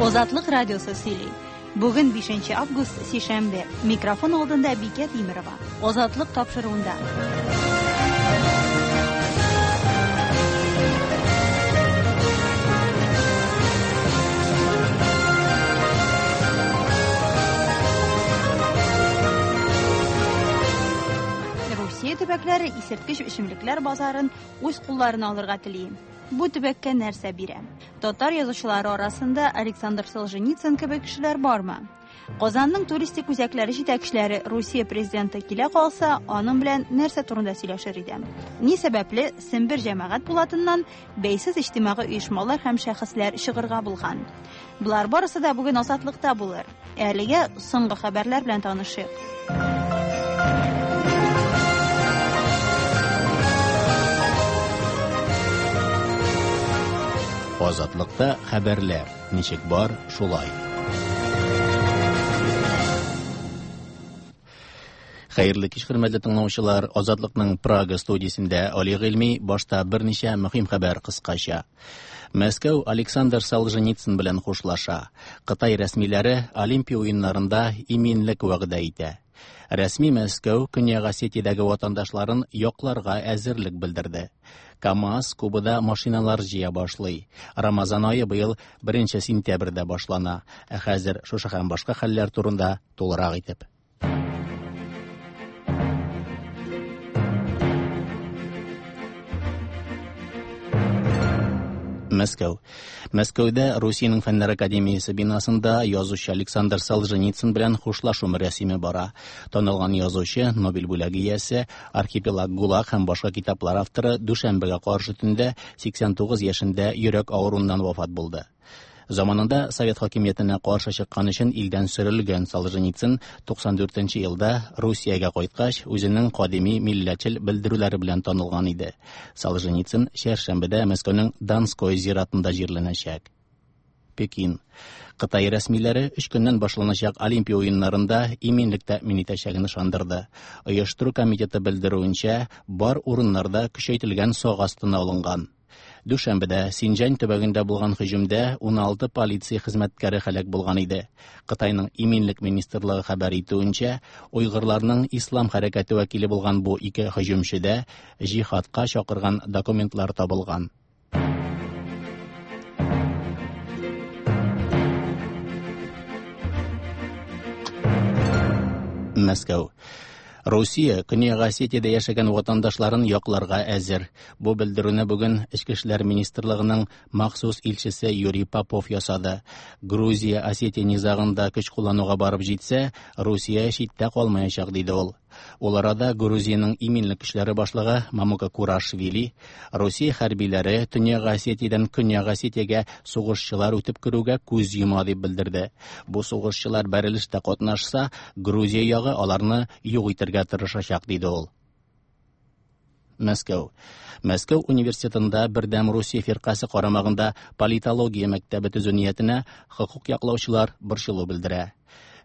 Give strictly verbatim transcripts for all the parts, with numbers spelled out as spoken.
Азатлык радиосы сөйли. Бүген бишенче август, сишәмбе. Микрофон алдында Бикә Тимерова. Азатлык тапшыруында. Русия төбәкләре исерткеч эчемлекләр базарын үз кулларына алырга тели. Бу төбәккә нәрсә бирә? Татар язучылары арасында Александр Солженицын кебек кешеләр бармы? Казанның туристик үзәкләре җитәкчеләре Русия президенты килә калса, аның белән нәрсә турында сөйләшер иде? Ни сәбәпле Сембер җәмәгать пулатыннан бәйсез иҗтимагый оешмалар һәм шәхесләр чыгырга булган? Болар барысы да бүген Азатлыкта булыр. Әлегә соңгы хәбәрләр белән танышыйк. Азатлыкта хәбәрләр ничек бар, шулай. Хәерле кич, хөрмәтле тыңлаучылар. Азатлыкның Прага студиясендә Али Гыйльми. Башта берничә мөһим хәбәр кыскача. Мәскәү Александр Солженицын белән хушлаша. Кытай рәсмиләре Олимпия уеннарында иминлек вәгъдә итә. Рәсми Мәскәү Көньяк Осетиядәге ватандашларын якларга әзерлек белдерде. КАМАЗ Кубада машиналар җыя башлый. Рамазан ае быел беренче сентябрьдә башлана. Ә хәзер шушы һәм башка хәлләр турында тулырак итеп. Мәскәү. Мәскәүдә Русиянең Фәннәр академиясе бинасында язучы Александр Солженицын белән хушлашу мәрасиме бара. Танылган язучы, Нобель бүләге иясе, Архипелаг ГУЛАГ һәм башка китаплар авторы дүшәмбегә каршы төндә сиксән тугыз яшендә йөрәк авыруыннан вафат булды. Заманында Совет хакимиятенә каршы чыккан өчен илдән сөрелгән Солженицын туксан дүртенче елда Русиягә кайткач, үзенең кадими милләтчел белдерүләре белән танылган иде. Солженицын чәршәмбедә Мәскәүнең Донской зиратында җирләнәчәк. Пекин. Кытай рәсмиләре өч көннән башланачак Олимпия уеннарында иминлек тәэмин итәчәген ышандырды. Оештыру комитеты белдерүенчә, бар урыннарда көчәйтелгән сак астына алынган. Дүшәмбедә Синҗан төбәгендә булган һөҗүмдә уналты полиция хезмәткәре һәлак булган иде. Кытайның иминлек министрлыгы хәбәр итүенчә, уйгырларның ислам хәрәкәте вәкиле булган бу ике һөҗүмчедә җихадка чакырган документлар табылган. Мәскәү. Русия Көньяк Осетиядә яшәгән ватандашларын якларга әзер. Бу белдерүне бүген Эчке эшләр министрлыгының махсус илчесе Юрий Попов ясады. Грузия Осетия низагында көч куллануга барып җитсә, Русия читтә калмаячак, диде ул. Ул арада Грузиянең иминлек көчләре башлыгы Мамука Курашвили Русия хәрбиләре Төньяк Осетиядән Көньяк Осетиягә сугышчылар үтеп керүгә күз йома дип белдерде. Бу сугышчылар бәрелештә катнашса, Грузия ягы аларны юк итәргә тырышачак, диде ул. Мәскәү. Мәскәү университетында Бердәм Русия фиркасе карамагында политология мәктәбе төзү ниятенә хокук яклаучылар борчылу белдерә.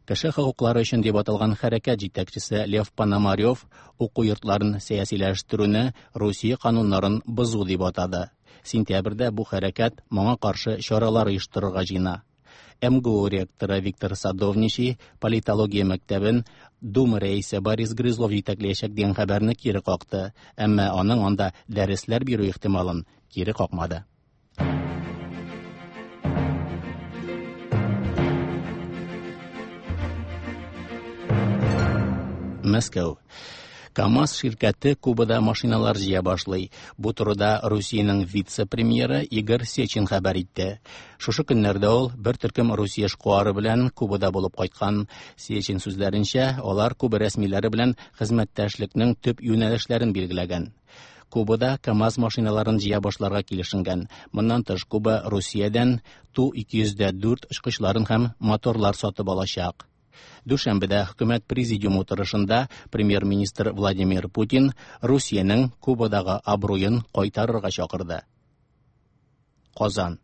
Кеше хокуклары өчен дип аталган хәрәкәт җитәкчесе Лев Пономарев уку йортларын сәясиләштерүне Русия кануннарын бозу дип атады. Сентябрьдә бу хәрәкәт моңа каршы чаралар оештырырга җыена. эм гэ у ректоры Виктор Садовничий политология мәктәбен Дума рәисе Борис Грызлов җитәкләячәк дигән хәбәрне кире какты, әмма аның анда дәресләр бирү ихтималын кире какмады. Мәскәү. КАМАЗ ширкәте Кубада машиналар җыя башлый. Бу турыда Русиянең вице-премьеры Игорь Сечин хәбәр итте. Шушы көннәрдә ул бер төркем Русия эшкуары белән Кубада булып кайткан. Сечин сүзләренчә, алар Куба рәсмиләре белән хезмәттәшлекнең төп юнәлешләрен билгеләгән. Кубада КАМАЗ машиналарын җыя башларга килешенгән. Моннан тыш Куба Русиядән Ту ике йөз дә дүрт очкычларын һәм моторлар сатып алачак. Дүшәмбедә хөкүмәт президиумы утырышында премьер-министр Владимир Путин Русиянең Кубадагы абруен кайтарырга чакырды. Казан.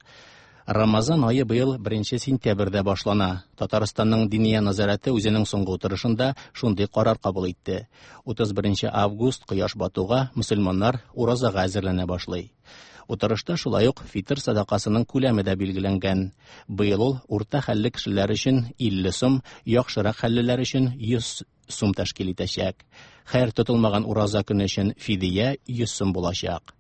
Рамазан ае быел беренче сентябрьдә башлана. Татарстанның Диния назарәте үзенең соңгы утырышында шундый карар кабул итте. Утыз беренче август кояш батуга мөселманнар уразага әзерләнә башлый. Утырышта шулай ук фитыр садакасының күләме дә билгеләнгән. Быел ул урта хәлле кешеләр өчен илле сум, яхшырак хәллеләр өчен йөз сум тәшкил итәчәк. Хәер тотылмаган ураза көне өчен фидия йөз сум булачак.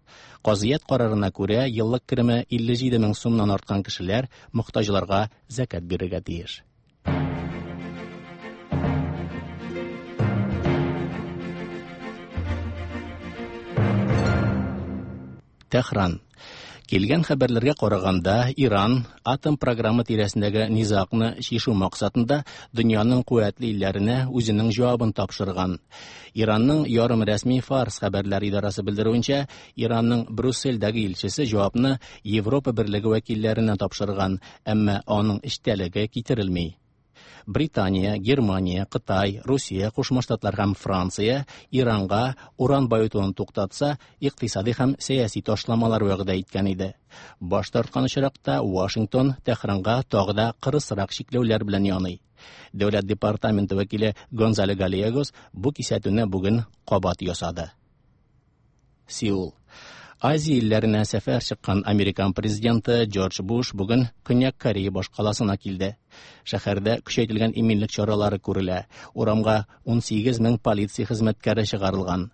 Казыят карарына күрә, еллык кереме илле җиде мең сумнан арткан кешеләр мохтаҗларга зәкят бирергә тиеш. Тәһран. Килгән хәбәрләргә караганда, Иран атом программы тирәсендәге низагны чишү максатында дөньяның куәтле илләренә үзенең җавабын тапшырган. Иранның ярым рәсми Фарс хәбәрләр идарасы белдерүенчә, Иранның Брюссельдәге илчесе җавапны Европа Берлеге вәкилләренә тапшырган, әмма аның эчтәлеге китерелми. Британия, Германия, Кытай, Русия, Кушма Штатлар һәм Франция Иранга уран баетуын туктатса, икътисади һәм сәяси ташламалар вәгъдә иткән иде. Баш тарткан очракта Вашингтон Тәһранга тагы да кырысрак чикләүләр белән яный. Дәүләт департаменты вәкиле Гонзало Гальегос бу кисәтүне бүген кабат ясады. Сеул. Азия илләренә сәфәр чыккан Американ президенты Джордж Буш бүген Көньяк Корея башкаласына килде. Шәһәрдә көчәйтелгән иминлек чаралары күрелә. Урамга ун сигез мең полиция хезмәткәре чыгарылган.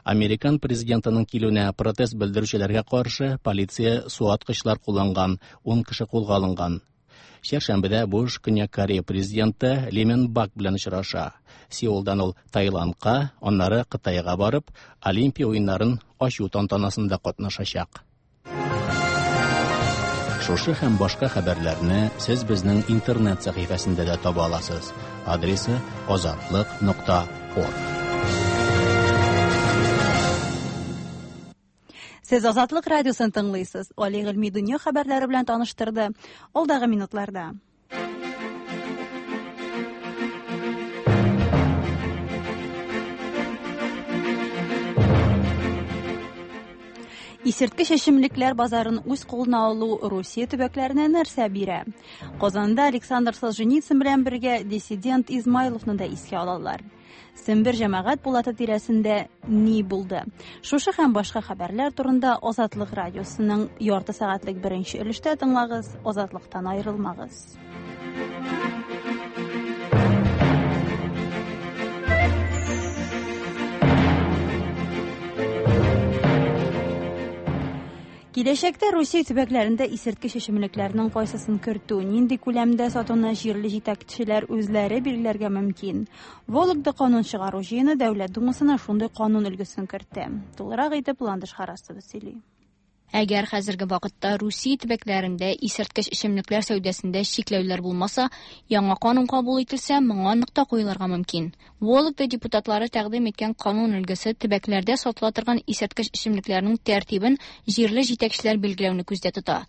Американ президентының килүенә протест белдерүчеләргә каршы полиция суаткычлар кулланган, ун кеше кулга алынган. Чәршәмбедә Буш Көньяк Корея президенты Ли Мен Бак белән очраша. Сеулдан ул Таиландка, аннары Кытайга барып, Олимпия уеннарын ачу тантанасында катнашачак. Шушы һәм башка хәбәрләрне сез безнең интернет сәхифәсендә дә таба аласыз. Адресы азатлык нокта орг. Сез Азатлык радиосын тыңлыйсыз. Али Гыйльми дөнья хәбәрләре белән таныштырды. Алдагы минутларда. Исерткеч эчемлекләр базарын үз кулына алу Русия төбәкләренә нәрсә бирә? Казанда Александр Солженицын белән бергә диссидент Измайловны да искә алалар. Сембер җәмәгать пулаты тирәсендә ни булды? Шушы һәм башка хәбәрләр турында Азатлык радиосының ярты сәгатьлек беренче өлештә тыңлагыз, Азатлыктан аерылмагыз. Киләчәктә Русия төбәкләрендә исерткеч эчемлекләрнең кайсысын кертү, нинди күләмдә сатуны җирле җитәкчеләр үзләре билгеләргә мөмкин. Вологда канун чыгару җыены Дәүләт Думасына шундый канун өлгесен кертте. Тулырак итеп Ландыш Харасова сөйли. Әгәр хәзерге вакытта Русия төбәкләрендә исерткеч эчемлекләр сәүдәсендә чикләүләр булмаса, яңа канун кабул ителсә, моңа нокта куелырга мөмкин. Вологда депутатлары тәкъдим иткән канун өлгесе төбәкләрдә сатыла торган исерткеч эчемлекләрнең тәртибен җирле җитәкчеләр билгеләүне күздә тота.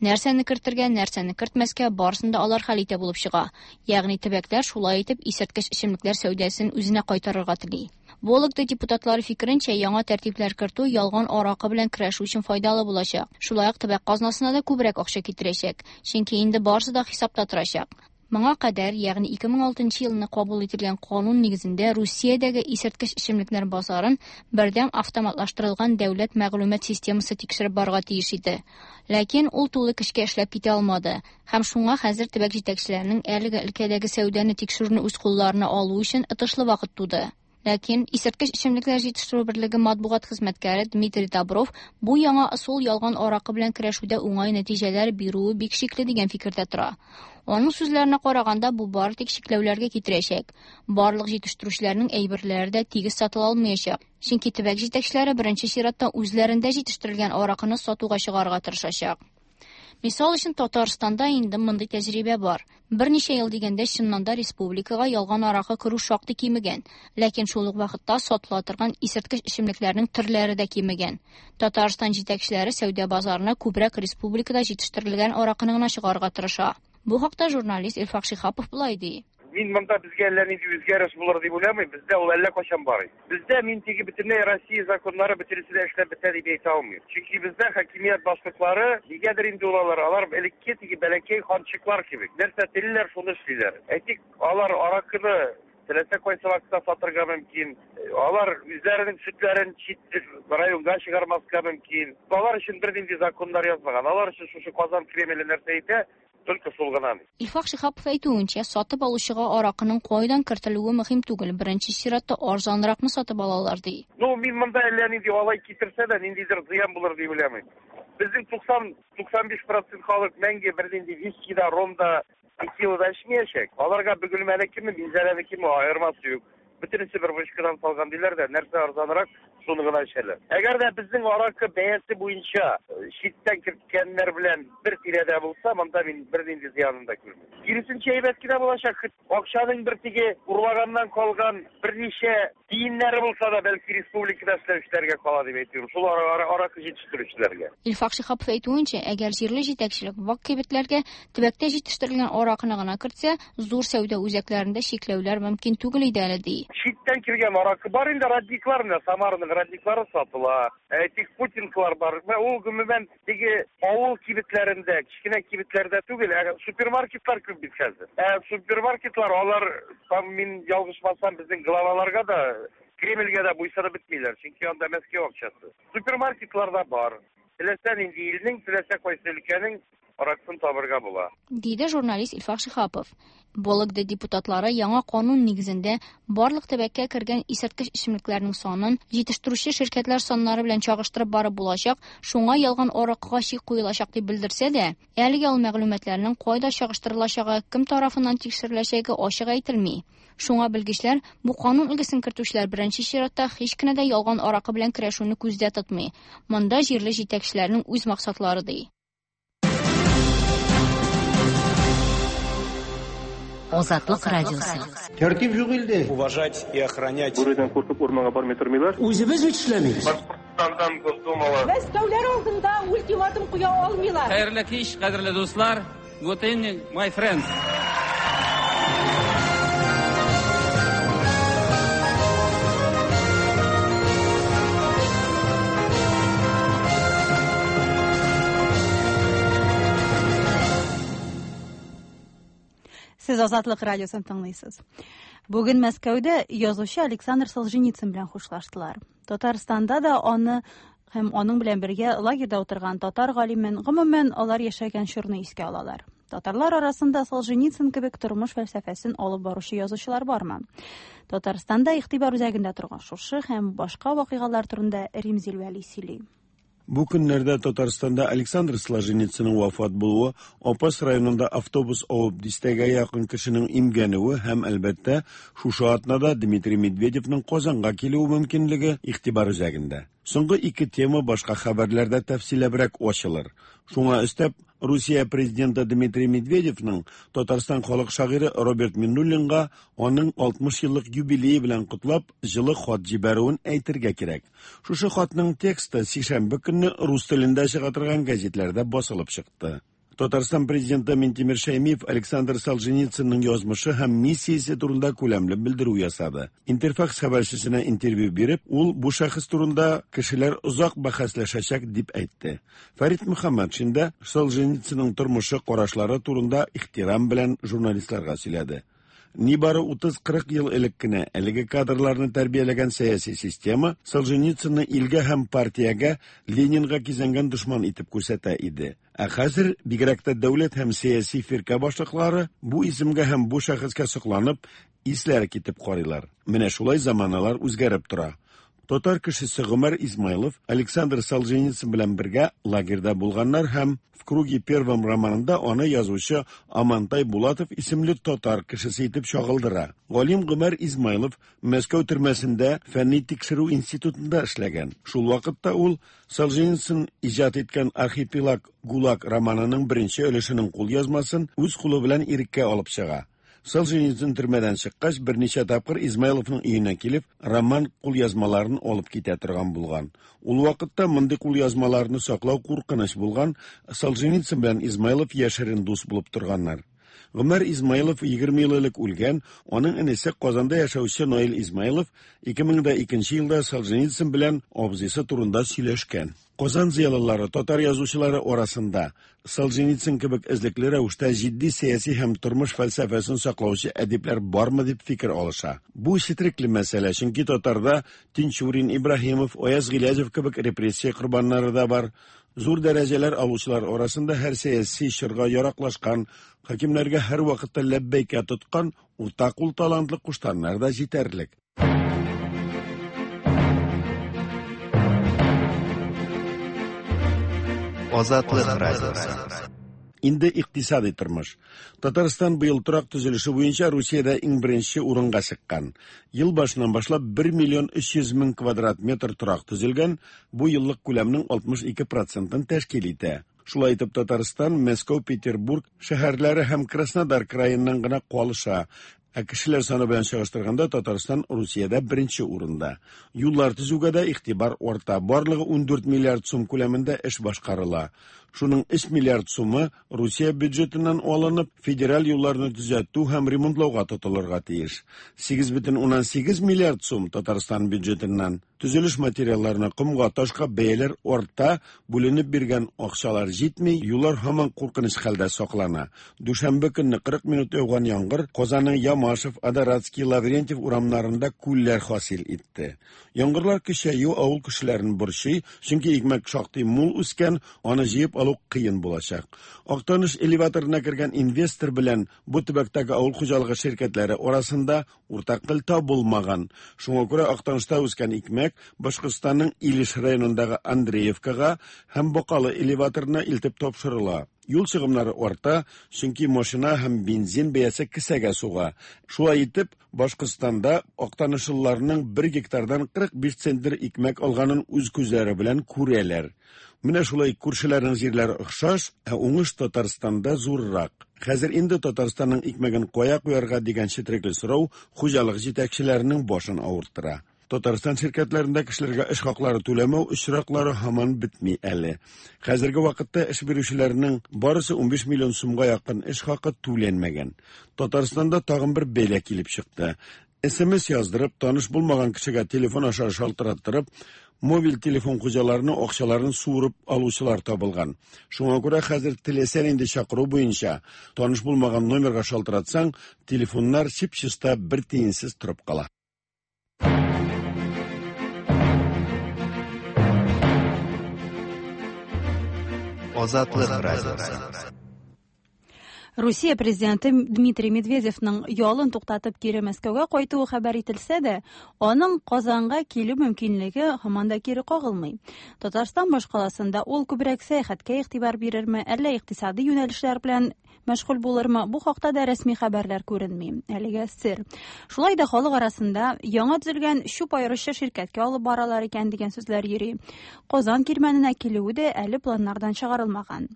Нәрсәне кертергә, нәрсәне кертмәскә барысын да алар хәл итә булып чыга. Ягъни төбәкләр шулай итеп исерткеч эчемлекләр сәүдәсен үзенә кайтарырга тели. Вологда депутатлары фикеренчә, яңа тәртипләр кертү ялган аракы белән көрәшү өчен файдалы булачак. Шулай ук төбәк казнасына да күбрәк акча китерәчәк, чөнки инде барысы да хисапта торачак. Моңа кадәр, ягъни ике мең алтынчы елны кабул ителгән канун нигезендә Русиядәге исерткеч эчемлекләр базарын бердәм автоматлаштырылган дәүләт мәгълүмат системасы тикшереп барырга тиеш иде. Ләкин ул тулы көчкә эшләп китә алмады. Һәм шуңа хәзер төбәк җитәкчеләренең әлеге өлкәдәге сәүдәне тикшерүне үз кулларына алу өчен отышлы вакыт туды. Ләкин исерткеч эчемлекләр җитештерү берлеге матбугат хезмәткәре Дмитрий Добров бу яңа ысул ялган аракы белән көрәшүдә уңай нәтиҗәләр бирүе бик шикле дигән фикердә тора. Аның сүзләренә караганда, бу бары тик чикләүләргә китерәчәк. Барлык җитештерүчеләрнең әйберләре дә тигез сатыла алмаячак. Чөнки төбәк җитәкчеләре беренче чиратта үзләрендә җитештерелгән аракыны сатуга чыгарырга тырышачак. Мисал өчен, Татарстанда инде мондый тәҗрибә бар. Берничә ел дигәндә чыннан да республикага ялган аракы керү шактый кимегән, ләкин шул ук вакытта сатыла торган исерткеч эчемлекләрнең төрләре дә кимегән. Татарстан җитәкчеләре сәүдә базарына күбрәк республикада җитештерелгән аракыны гына чыгарырга тырыша. Бу хакта журналист Илфак Шиһапов болай ди. Мин монда безгә әллә нинди үзгәреш булыр дип уйламыйм, бездә ул әллә кайчан бар. Бездә мин теге бөтенләй Россия законнары бөтенесе дә эшләп бетә дип әйтә алмыйм. Чөнки бездә хакимият башлыклары нигәдер инде ул алар, алар элекке теге бәләкәй ханчыклар кебек. Нәрсә телиләр, шуны эшлиләр. Әйтик, алар аракыны Теләсә кайсы вакытта сатырга мөмкин. Алар үзләренең сөтләрен чит районга чыгармаска мөмкин. Алар өчен бернинди законнар язмаган. Алар өчен шушы Казан Кремле нәрсә әйтә, только шул гына. Илфак Шиһапов әйтүенчә, сатып алучыга аракының кайдан кертелүе мөһим түгел. Беренче чиратта арзанракны сатып алалар ди. Ну, мин монда әллә нинди алай китерсә дә, ниндидер зыян булыр дип уйламыйм. Безнең туксан, туксан биш процент халык мәңге бернинди виски да, ром да, текила да эчмәячәк. Аларга Бөгелмәнекеме, Минзәләнекеме аермасы юк. Бөтенесе бер вышкадан салган диләр дә, нәрсә арзанрак, шуны гына эчәләр. Әгәр дә безнең аракы бәясе буенча читтән керткәннәр белән бер тирәдә булса, монда мин бернинди зыянын да күрмим. Киресенчә әйбәт кенә булачак. Акчаның бер теге урлаганнан калган берничә тиеннәре булса да, бәлки республикада эшләүчеләргә кала дип әйтүем. Шул аракы җитештерүчеләргә. Илфак Шиһапов әйтүенчә, әгәр җирле җитәкчелек вак кибетләргә төбәктә җитештерелгән аракыны гына кертсә, зур сәүдә үзәкләрендә чикләүләр мөмкин түгел иде әле ди. Читтән килгән аракы бар инде, родниклар менә, Самараның родниклары сатыла. Әйтик, путинкалар бар. Ул гомумән теге авыл кибетләрендә, кечкенә кибетләрдә түгел, ә супермаркетлар күп бит хәзер. Ә супермаркетлар алар, там мин ялгышмасам, безнең главаларга да, Кремльгә дә буйсынып бетмиләр, чөнки анда Мәскәү акчасы. Супермаркетларда бар. Теләсә нинди илнең, теләсә кайсы өлкәнең аракысын табырга була, диде журналист Илфак Шиһапов. Вологда депутатлары яңа канун нигезендә барлык төбәккә кергән исерткеч эчемлекләрнең санын җитештерүче ширкәтләр саннары белән чагыштырып барып булачак, шуңа ялган аракыга чик куелачак дип белдерсә дә, әлегә ул мәгълүматларның кайда чагыштырылачагы, кем тарафыннан тикшереләчәге ачык әйтелми. Шуңа белгечләр бу канун өлгесен кертүчеләр беренче чиратта һич кенә дә ялган аракы белән көрәшүне күздә тотмый. Монда җирле җитәкчеләрнең үз максатлары ди. Азатлык радиосы. Тәртип юк илдә. Уважать и охранять. Бүредән куркып урманга бармый тормыйлар. Үзебез бит эшләмибез. Башкортстандан Госдумалар. Мәскәүләр алдында ультиматум куя алмыйлар. Хәерле кич, кадерле дуслар. Good evening, my friends. Сез Азатлык радиосын тыңлыйсыз. Бүген Мәскәүдә язучы Александр Солженицын белән хушлаштылар. Татарстанда да аны һәм аның белән бергә лагерьда утырган татар галимен, гомумән алар яшәгән чорны искә алалар. Татарлар арасында Солженицын кебек тормыш фәлсәфәсен алып баручы язучылар бармы? Татарстанда игътибар үзәгендә торган шушы һәм башка вакыйгалар турында Римзил Вәли сөйли. Бу көннәрдә Татарстанда Александр Солженицынның вафат булуы, Апас районында автобус авып дистәгә якын кешенең имгәнүе һәм әлбәттә шушы атнада Дмитрий Медведевның Казанга килүе мөмкинлеге игътибар үзәгендә. Соңгы ике тема башка хәбәрләрдә тәфсилләбрәк ачылыр. Шуңа өстәп, Русия президенты Дмитрий Медведевның Татарстан халык шагыйре Роберт Миннуллинга аның алтмыш еллык юбилее белән котлап, җылы хат җибәрүен әйтергә кирәк. Шушы хатның тексты сишәмбе көнне рус телендә чыга торган гәзитләрдә басылып чыкты. Татарстан президенты Минтимер Шәймиев Александр Солженицынның язмышы һәм миссиясе турында күләмле белдерү ясады. Интерфакс хәбәрчесенә интервью биреп, ул бу шәхес турында кешеләр озак бәхәсләшәчәк дип әйтте. Фәрит Мөхәммәтшин дә Солженицынның тормышы, карашлары турында ихтирам белән журналистларга сөйләде. Нибары утыз-кырык ел элек кенә әлеге кадрларны тәрбияләгән сәяси система Солженицынны илгә һәм партиягә, Ленинга кизәнгән дошман итеп күрсәтә иде. Ә хәзер бигрәк тә дәүләт һәм сәяси фиркә башлыклары бу исемгә һәм бу шәхескә сокланып, исләре китеп карыйлар. Менә шулай заманалар үзгәреп тора. Татар кешесе Гомәр Измайлов Александр Солженицын белән бергә лагерьда булганнар һәм «В круге первом» романында аны язучы Амантай Булатов исемле татар кешесе итеп чагылдыра. Галим Гомәр Измайлов Мәскәү төрмәсендә фәнни тикшерү институтында эшләгән. Шул вакытта ул Солженицын иҗат иткән «Архипелаг ГУЛАГ» романының беренче өлешенең кулъязмасын үз кулы белән иреккә алып чыга. Солженицын төрмәдән чыккач, берничә тапкыр Измайловның өенә килеп, роман кулъязмаларын алып китә торган булган. Ул вакытта мондый кулъязмаларны саклау куркыныч булган, Солженицын белән Измайлов яшерен дус булып торганнар. Гомәр Измайлов егерме ел элек үлгән, аның энесе Казанда яшәүче Наил Измайлов ике мең дә икенче елда Солженицын белән абзыйсы турында сөйләшкән. Казан зыялылары, татар язучылары арасында Солженицын кебек эзлекле рәвештә җитди сәяси һәм тормыш фәлсәфәсен саклаучы әдипләр бармы дип фикер алыша. Бу четерекле мәсьәлә, чөнки татарда Тинчурин, Ибраһимов, Аяз Гыйләҗев кебек репрессия корбаннары да бар. Зур дәрәҗәләр алучылар арасында һәр сәяси чорга яраклашкан, хакимнәргә һәр вакытта ләббәйкә тоткан уртакул талантлы куштаннар да җитәрлек. Азатлык радиосы. Инде икътисади тормыш. Татарстан быел торак төзелеше буенча Русиядә иң беренче урынга чыккан. Ел башыннан башлап бер миллион өч йөз мең квадрат метр торак төзелгән, бу еллык күләмнең алтмыш ике процентын тәшкил итә. Шулай итеп Татарстан, Мәскәү, Петербург шәһәрләре һәм Краснодар краеннан гына калыша. Ә кешеләр саны белән чагыштырганда Татарстан Русиядә беренче урында. Юллар төзүгә дә игътибар арта. Барлыгы ундүрт миллиард сум күләмендә эш башкарыла. Шуның өч миллиард сумы Русия бюджетыннан алынып, федераль юлларны төзәтү һәм ремонтлауга тотылырга тиеш. Сигез бөтен уннан сигез миллиард сум Татарстан бюджетыннан. Төзелеш материалларына, комга, ташка бәяләр арта, бүленеп биргән акчалар җитми, юллар һаман куркыныч хәлдә саклана. Дүшәмбе көнне кырык минут яуган яңгыр Казанның Ямашев, Адоратский, Лаврентьев урамнарында күлләр хасил итте. Яңгырлар көчәю авыл кешеләрен борчый, чөнки икмәк шактый мул үскән, аны җыеп алу кыен булачак. Актаныш элеваторына кергән инвестор белән бу төбәктәге авыл хуҗалыгы ширкәтләре арасында уртак тел табылмаган. Шуңа күрә Актанышта үскән икмәк Башкортстанның Илеш районындагы Андреевкага һәм Бакалы элеваторына илтеп тапшырыла. Юл чыгымнары арта, чөнки машина һәм бензин бәясе кесәгә суга. Шулай итеп, Башкортстанда актанышлыларның бер гектардан кырык биш центнер икмәк алганын үз күзләре белән күрәләр. Менә шулай күршеләрнең җирләре охшаш, ә уңыш Татарстанда зуррак. Хәзер инде Татарстанның икмәген кая куярга дигән четерекле сорау хуҗалык җитәкчеләренең башын авырттыра. Татарстан ширкәтләрендә кешеләргә эш хаклары түләмәү очраклары һаман бетми әле. Хәзерге вакытта эш бирүчеләрнең барысы унбиш миллион сумга якын эш хакы түләнмәгән. Татарстанда тагын бер бәла килеп чыкты. Эс Эм Эс яздырып, таныш булмаган кешегә телефон аша шалтыраттырып, мобиль телефон хуҗаларының акчаларын суырып алучылар табылган. Шуңа күрә хәзер теләсә нинди чакыру буенча таныш булмаган номерга шалтыратсаң, телефоннар чип-чиста бер тиенсез торып кала. Азатлык радиосы. Русия президенты Дмитрий Медведевның ялын туктатып кире Мәскәүгә кайтуы хәбәр ителсә дә, аның Казанга килү мөмкинлеге һаман да кире кагылмый. Татарстан башкаласында ул күбрәк сәяхәткә игътибар бирерме, әллә икътисади юнәлешләр белән мәшгуль булырмы, бу хакта да рәсми хәбәрләр күренми. Әлегә сер. Шулай да халык арасында яңа төзелгән чүп аеручы ширкәткә алып баралар икән дигән сүзләр йөри. Казан кирмәненә килүе дә әле планнардан чыгарылмаган.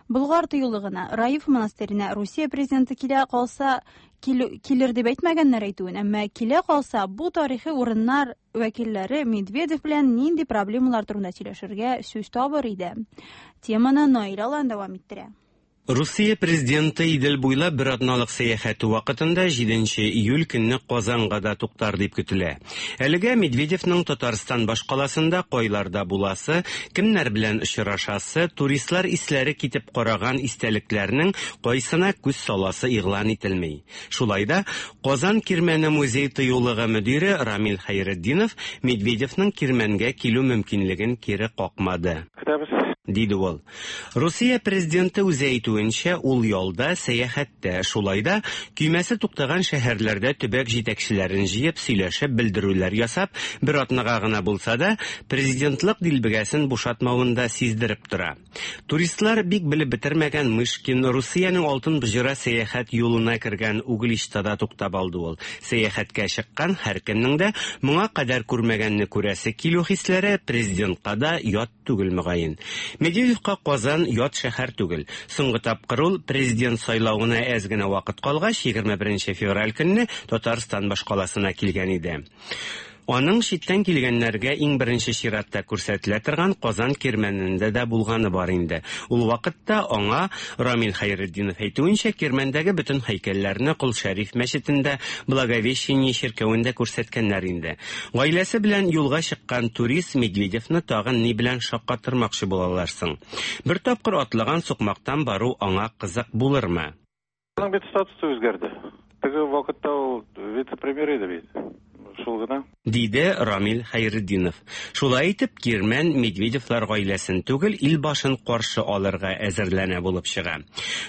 Болгар тыюлыгына, Раиф монастырена Русия президенты килә калса, килер дип әйтмәгәннәр әйтүен, әмма килә калса, бу тарихи урыннар вәкилләре Медведев белән нинди проблемалар турында сөйләшергә сүз табыр иде. Теманы Наил Алан дәвам иттерә. Русия президенты Идел буйлап бер атналык сәяхәте вакытында җиденче июль көнне Казанга да туктар дип көтелә. Әлегә Медведевның Татарстан башкаласында кайларда буласы, кемнәр белән очрашасы, туристлар исләре китеп караган истәлекләрнең кайсына күз саласы игълан ителми. Шулай да Казан Кирмәне музей тыюлыгы мөдире Рамил Хәйретдинов Медведевның Кирмәнгә килү мөмкинлеген кире какмады. Диде ул. Русия президенты үзе әйтүенчә, ул ялда, сәяхәттә, шулай да көймәсе туктаган шәһәрләрдә төбәк җитәкчеләрен җыеп, сөйләшеп, белдерүләр ясап, бер атнага гына булса да, президентлык дилбегәсен бушатмавын да сиздереп тора. Туристлар бик белеп бетермәгән Мышкин Русиянең алтын боҗра сәяхәт юлына кергән Угличтада туктап алды ул. Сәяхәткә чыккан һәркемнең дә моңа кадәр күрмәгәнне күрәсе килү хисләре президентка да ят түгел мөгаен. Медведевка Казан ят шәһәр түгел. Соңгы тапкыр ул президент сайлавына әз генә вакыт калгач, егерме беренче февраль көнне Татарстан башкаласына килгән иде. Аның читтән килгәннәргә иң беренче чиратта күрсәтелә торган Казан Кирмәнендә дә булганы бар инде. Ул вакытта аңа Рамил Хәйретдинов әйтүенчә, Кирмәндәге бөтен һәйкәлләрне Кол Шәриф мәчетендә, Благовещение чиркәвендә күрсәткәннәр инде. Гаиләсе белән юлга чыккан турист Медведевны тагын ни белән шаккатырмакчы булалар соң? Бер тапкыр атлаган сукмактан бару аңа кызык булырмы? Аның бит статусы үзгәрде. Теге вакытта ул вице-премьер иде бит. Шул гына. Диде Рамил Хәйретдинов. Шулай итеп, Кирмән Медведевлар гаиләсен түгел, ил башын каршы алырга әзерләнә булып чыга.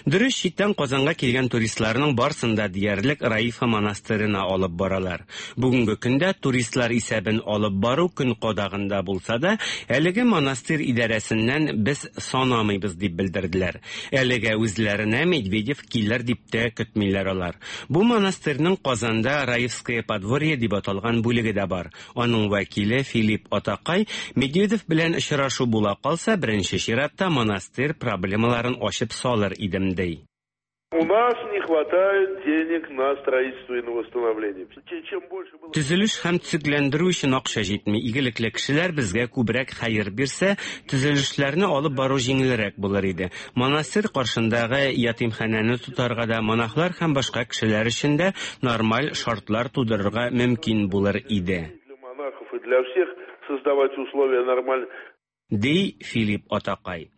Дөрес, читтән Казанга килгән туристларның барсын да диярлек Раифа монастырена алып баралар. Бүгенге көндә туристлар исәбен алып бару көн кадагында булса да, әлеге монастырь идарәсеннән без санамыйбыз дип белдерделәр. Әлегә үзләренә Медведев килер дип тә көтмиләр алар. Бу монастырьның Казанда Раевское подворье дип аталган бүлеге дә бар. Аның вәкиле Филипп Атакай Медведев белән очрашу була калса, беренче чиратта монастырь проблемаларын ачып салыр идем ди. У нас не хватает денег на строительство и на восстановление. Чем больше было... Төзелеш һәм төзекләндерү өчен акча җитми. Игелекле кешеләр безгә күбрәк хәер бирсә, төзелешләрне алып бару җиңелрәк булыр иде. Монастырь каршындагы ятимханәне тотарга да, монахлар һәм башка кешеләр өчен дә нормаль шартлар тудырырга мөмкин булыр иде. Для монахов и для всех создавать условия нормально. Ди Филипп Атакай.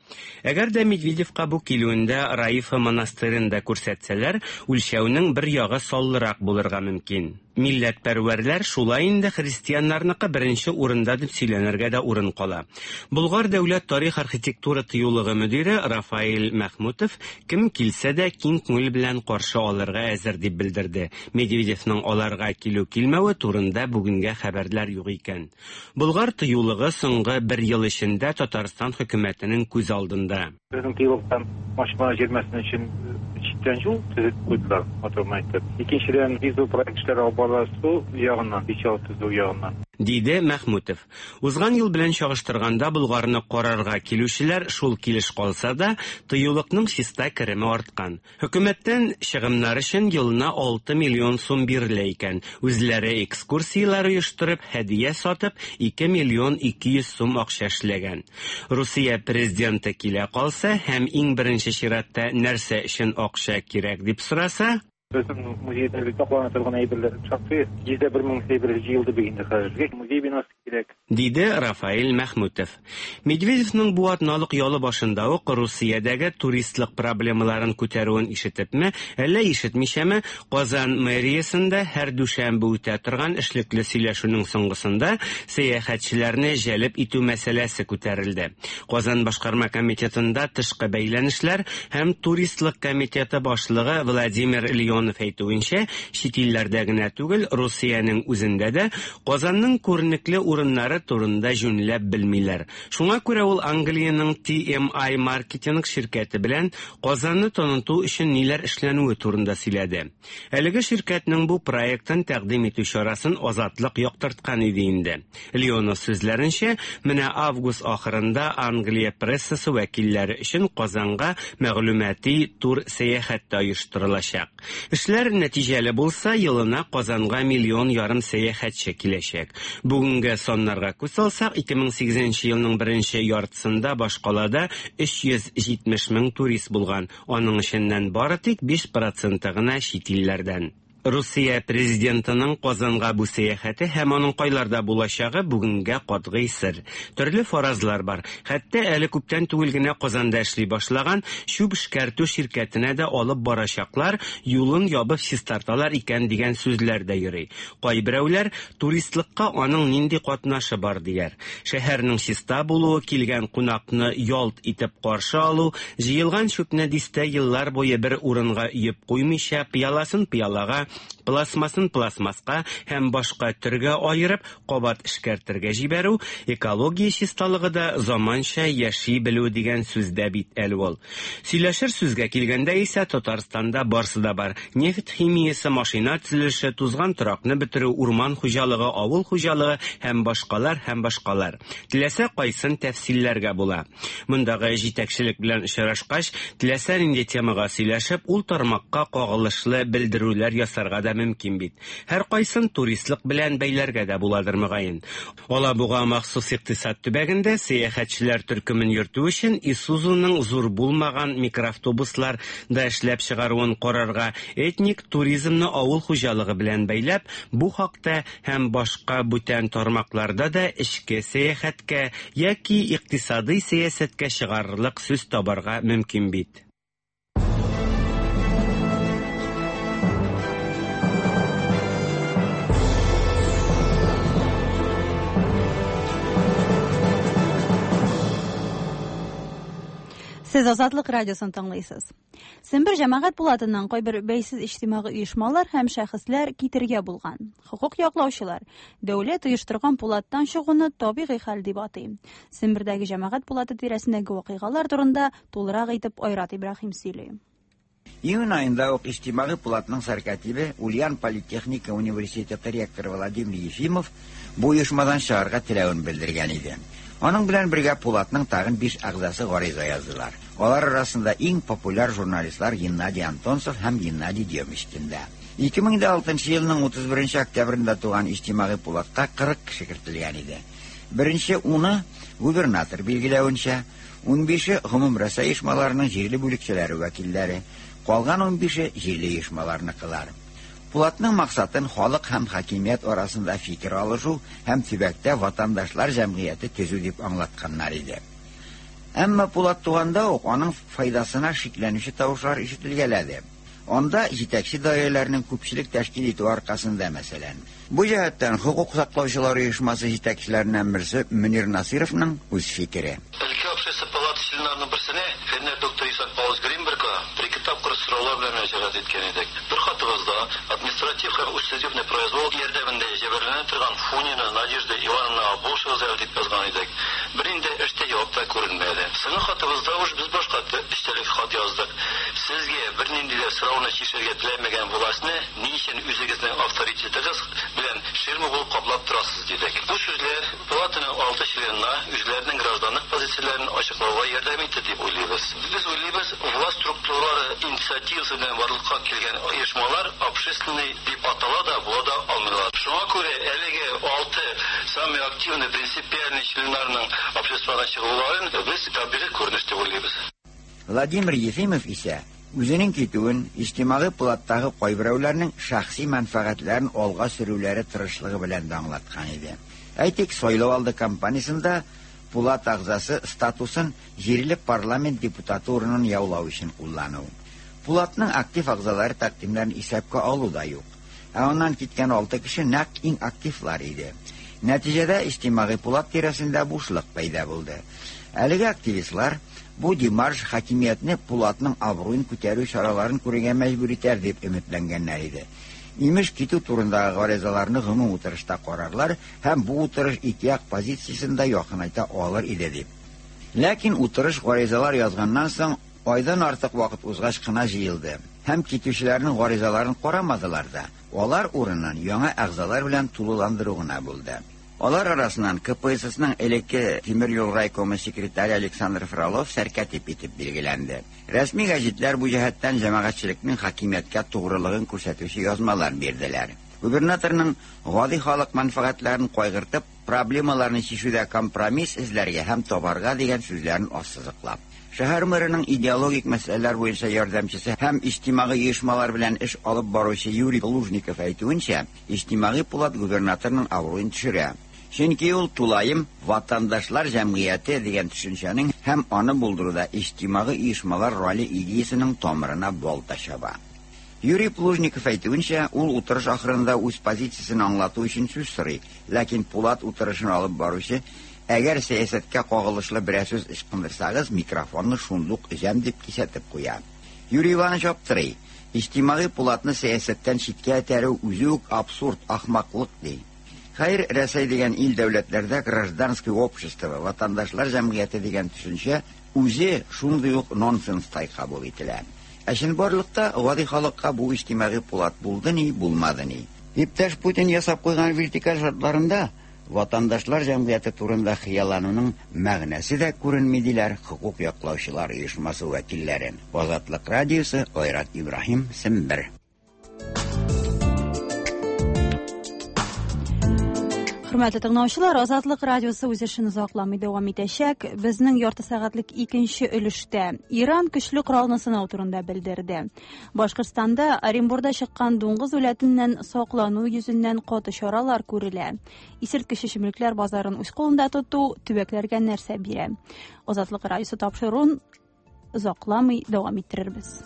Әгәр дә Медведевка бу килүендә Раифа монастырен дә күрсәтсәләр, үлчәүнең бер ягы саллырак булырга мөмкин. Милләтпәрвәрләр шулай инде христианнарныкы беренче урында дип сөйләнергә дә урын кала. Болгар дәүләт тарих архитектура тыюлыгы мөдире Рафаэль Мәхмүтов кем килсә дә киң күңел белән каршы алырга әзер дип белдерде. Медведевның аларга килү-килмәве турында бүгенгә хәбәрләр юк икән. Болгар тыюлыгы соңгы бер ел эчендә Татарстан хөкүмәтенең күз алдында. Безнең тыюлыктан машина җирмәсен өчен читтән юл төзеп куйдылар, матур итеп. Икенчедән, визу проектлары алып барыла су ягыннан, печал төзү ягыннан. Диде Мәхмүтов. Узган ел белән чагыштырганда Болгарны карарга килүчеләр шул килеш калса да, тыюлыкның чиста кереме арткан. Хөкүмәттән чыгымнар өчен елына алты миллион сум бирелә икән. Үзләре экскурсияләр оештырып, һәдия сатып, ике миллион ике йөз сум акча эшләгән. Русия президенты килә калса һәм иң беренче чиратта нәрсә өчен акча кирәк дип сораса, Безнең музейда саклана торган әйберләр шактый, йөз бер мең әйбер җыелды бүген хәзер. Музей бинасы кирәк. Диде Рафаэль Мәхмүтов. Медведевның бу атналык ялы башында ук Русиядәге туристлык проблемаларын күтәрүен ишетепме, әллә ишетмичәме, Казан мэриясендә һәр дүшәмбе үтә торган эшлекле сөйләшүнең соңгысында сәяхәтчеләрне җәлеп итү мәсьәләсе күтәрелде. Казан башкарма комитетында тышкы бәйләнешләр һәм туристлык комитеты башлыгы Владимир Леонов әйтүенчә, чит илләрдә генә түгел, Русиянең үзендә дә Казанның күренекле урыннары турында җүнләп белмиләр. Шуңа күрә ул Англиянең T M I маркетинг ширкәте белән Казанны таныту өчен ниләр эшләнүе турында сөйләде. Әлеге ширкәтнең бу проектын тәкъдим итү чарасын Азатлык яктырткан иде инде. Леонов сүзләренчә, менә август ахырында Англия прессасы вәкилләре өчен Казанга мәгълүмати тур сәяхәт тә оештырылачак. Эшләр нәтиҗәле булса, елына Казанга миллион ярым сәяхәтче киләчәк. Бүгенге саннарга күз салсак, ике мең сигезенче елның беренче яртысында башкалада өч йөз җитмеш мең турист булган. Аның эченнән бары тик биш проценты гына чит илләрдән. Русия президентының Казанга бу сәяхәте һәм аның кайларда булачагы бүгенгә катгый сер. Төрле фаразлар бар. Хәтта әле күптән түгел генә Казанда эшли башлаган чүп эшкәртү ширкәтенә дә алып барачаклар, юлын ябып чистарталар икән дигән сүзләр дә йөри. Кайберәүләр туристлыкка аның нинди катнашы бар дияр. Шәһәрнең чиста булуы, килгән кунакны ялт итеп каршы алу, җыелган чүпне дистә еллар буе бер урынга өеп куймыйча, пыяласын пыялага, пластмасын пластмаска һәм башка төргә аерып, кабат эшкәртергә җибәрү, экология чисталыгы да заманча яши белү дигән сүз дә бит әле ул. Сөйләшер сүзгә килгәндә исә Татарстанда барсы да бар. Нефть химиясе, машина төзелеше, тузган торакны бетерү, урман хуҗалыгы, авыл хуҗалыгы һәм башкалар һәм башкалар. Теләсә кайсын тәфсилләргә була. Мондагы җитәкчелек белән очрашкач, теләсә нинди темага сөйләшеп, ул тармакка кагылышлы белдерүләр ясар ачыкларга да мөмкин бит. Һәркайсын туристлык белән бәйләргә дә буладыр мөгаен. Алабуга махсус икътисад төбәгендә сәяхәтчеләр төркемен йөртү өчен Исузуның зур булмаган микроавтобуслар да эшләп чыгаруын карарга, этник туризмны авыл хуҗалыгы белән бәйләп, бу хакта һәм башка бүтән тармакларда да эчке сәяхәткә яки икътисадый сәясәткә чыгарырлык сүз табарга мөмкин бит. Сез Азатлык радиосын тыңлыйсыз. Сембер җәмәгать пулатыннан кайбер бәйсез иҗтимагый оешмалар һәм шәхесләр китергә булган. Хукук яклаучылар дәүләт оештырган пулаттан чыгуны табигый хәл дип атый. Сембердәге җәмәгать пулаты тирәсендәге вакыйгалар турында тулырак итеп Айрат Ибраһим сөйли. Июнь айында ук иҗтимагый пулатның сәркатибе Ульян политехника университеты ректоры Владимир Ефимов бу оешмадан чыгарга теләвен белдергән иде. Аның белән бергә пулатның тагын биш әгъзасы гариза яздылар. Алар арасында иң популяр журналистлар Геннадий Антонцев һәм Геннадий Демышкин да. ике мең дә алтынчы елның утыз беренче октябрендә туган иҗтимагый пулатка кырык кеше кертелгән иде. Беренче уны губернатор билгеләвенчә, унбише гомум Рәсәй оешмаларының җирле бүлекчәләре вәкилләре, калган унбише җирле оешмаларныкылар. Пулатның максатын халык һәм хакимият арасында фикер алышу һәм төбәктә ватандашлар җәмгыяте төзү дип аңлатканнар иде. Әмма пулат туганда ук аның файдасына шикләнүче тавышлар ишетелгәләде. Анда җитәкче даирәләрнең күпчелек тәшкил итү аркасында, мәсәлән. Бу җәһәттән хукук саклаучылар оешмасы җитәкчеләреннән берсе Мөнир Насыровның үз фикере. Өлкә общество палаты членнарының берсенә фәннәр докторы Исаак Павлович Гринбергка бер-ике тапкыр сораулар белән мөрәҗәгать иткән идек. Бер хатыбызда административ һәм учредительный произвол ярдәмендә җәберләнә торган Фунина Надежда Ивановна булышыгыз әле дип язган идек. Беринде эштә җавап та күренмәде. Соңгы хатыбызда уж без башка эчтәлек хат яздык. Сезгә бернинди дә сорауны чишәргә теләмәгән властьны ни өчен үзегезнең авторитетыгыз белән ширма булып каплап торасыз дидек. Бу сүзләр палатаның алты членына үзләренең гражданлык позицияләрен ачыклауга ярдәм итте дип уйлыйбыз. Без уйлыйбыз, власть структуралары инициативасы белән барлыкка килгән оешмалар общественный дип атала да була да алмыйлар. Шуңа күрә әлеге алты самый активный принципиальный членнарның обществодан чыгуларын без табигый күренеш дип уйлыйбыз. Владимир Ефимов исә үзенең китүен иҗтимагый пулаттагы кайберәүләрнең шәхси мәнфәгатьләрен алга сөрүләре тырышлыгы белән дә аңлаткан иде. Әйтик, сайлау алды кампаниясендә пулат әгъзасы статусын җирле парламент депутаты урынын яулау өчен куллану. Пулатның актив әгъзалары тәкъдимнәрен исәпкә алу да юк. Ә аннан киткән алты кеше нәкъ иң активлар иде. Нәтиҗәдә иҗтимагый пулат тирәсендә бушлык пәйда булды. Әлеге активистлар бу демарш хакимиятне пулатның абруен күтәрү чараларын күрергә мәҗбүр итәр дип өметләнгәннәр иде. Имеш китү турындагы гаризаларны гомум утырышта карарлар һәм бу утырыш ике як позициясен дә якынайта алыр иде дип. Ләкин утырыш гаризалар язганнан соң айдан артык вакыт узгач кына җыелды. Һәм китүчеләрнең гаризаларын карамадылар да. Алар урынын яңа әгъзалар белән тулыландыру гына булды. Алар арасыннан К П С Сның элекке тимер юл райкомы секретаре Александр Фролов сәркатип итеп билгеләнде. Рәсми гәзитләр бу җәһәттән җәмәгатьчелекнең хакимияткә тугрылыгын күрсәтүче язмалар бирделәр. Губернаторның гади халык мәнфәгатьләрен кайгыртып, проблемаларны чишүдә компромисс эзләргә һәм табарга дигән сүзләрен ассызыклап. Шәһәр мэрының идеологик мәсьәләләр буенча ярдәмчесе һәм иҗтимагый оешмалар белән эш алып баручы Юрий Лужников әйтүенчә, иҗтимагый пулат губернаторның абруен төшерә. Чөнки ул тулаем ватандашлар җәмгыяте дигән төшенчәнең һәм аны булдыруда иҗтимагый оешмалар роле идеясының тамырына балта чаба. Юрий Плужников әйтүенчә, ул утырыш ахырында үз позициясен аңлату өчен сүз сорый, ләкин пулат утырышын алып баручы әгәр сәясәткә кагылышлы берәр сүз ычкындырсагыз, микрофонны шундук өзәм дип кисәтеп куя. Юрий Иванович аптырый. Иҗтимагый пулатны сәясәттән читкә этәрү үзе үк абсурд, ахмаклык ди. Хәер, Рәсәй дигән ил дәүләтләрдә гражданское общество, ватандашлар җәмгыяте дигән төшенчә үзе шундый ук нонсенстай кабул ителә. Ә чынбарлыкта гади халыкка бу иҗтимагый пулат булды ни, булмады ни. Иптәш Путин ясап куйган вертикаль шартларында ватандашлар җәмгыяте турында хыяллануның мәгънәсе дә күренми диләр хукук яклаучылар оешмасы вәкилләре. Азатлык радиосы, Айрат Ибраһим, Сембер. Хөрмәтле тыңлаучылар, Азатлык радиосы үз эшен озакламый дәвам итәчәк. Безнең ярты сәгатьлек икенче өлештә Иран көчле коралны сынау турында белдерде. Башкортстанда Оренбурда чыккан дуңгыз үләтеннән саклану йөзеннән каты чаралар күрелә. Исерткеч эчемлекләр базарын үз кулында тоту төбәкләргә нәрсә бирә? Азатлык радиосы тапшыруын озакламый дәвам иттерербез.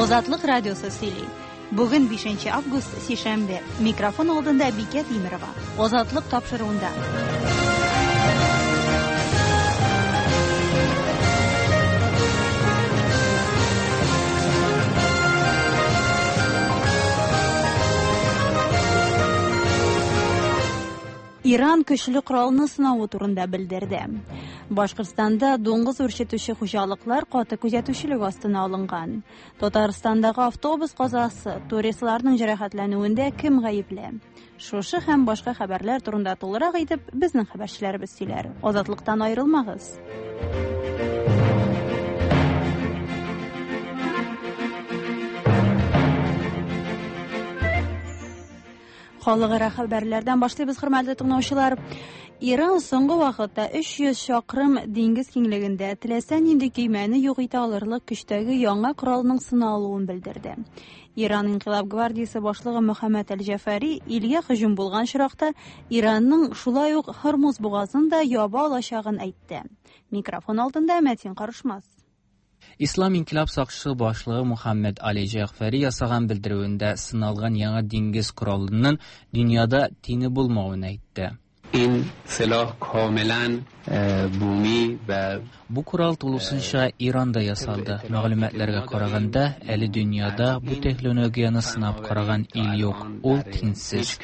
Азатлык радиосы сөйли. Бүген бишенче август, сишәмбе. Микрофон алдында Бикә Тимерова. Азатлык тапшыруында. Иран көчле коралны сынавы турында белдерде. Башкортстанда дуңгыз үрчетүче хуҗалыклар каты күзәтүчелек астына алынган. Татарстандагы автобус казасы, туристларның җәрәхәтләнүендә кем гаепле? Шушы һәм башка хәбәрләр турында тулырак итеп безнең хәбәрчеләребез сөйләр. Азатлыктан аерылмагыз. Халыкара хәбәрләрдән башлыйбыз, хөрмәтле тыңлаучылар. Иран соңгы вакытта өч йөз чакрым диңгез киңлегендә теләсә нинди көймәне юк итә алырлык көчтәге яңа коралның сыналуын белдерде. Иран Инкыйлаб гвардиясе башлыгы Мөхәммәд Әл-Җәфәри илгә һөҗүм булган очракта Иранның шулай ук Һормуз бугазын да яба алачагын әйтте. Микрофон алдында Мәтин Карышмас. Ислам İnkılap Saqçısı başlığı Muhammed Ali Cəfəri yasağan bildirüvündə sınalğan яңа dengez kuralının dünyada tini bulmağını aytdı. İn silah kamilan bumi və Bu kural tulusunca İranda yasaldı. Мәгълүматларга караганда, әле dünyada bu texnologiyani sınab караган ил yo'q. Ул тиңсез.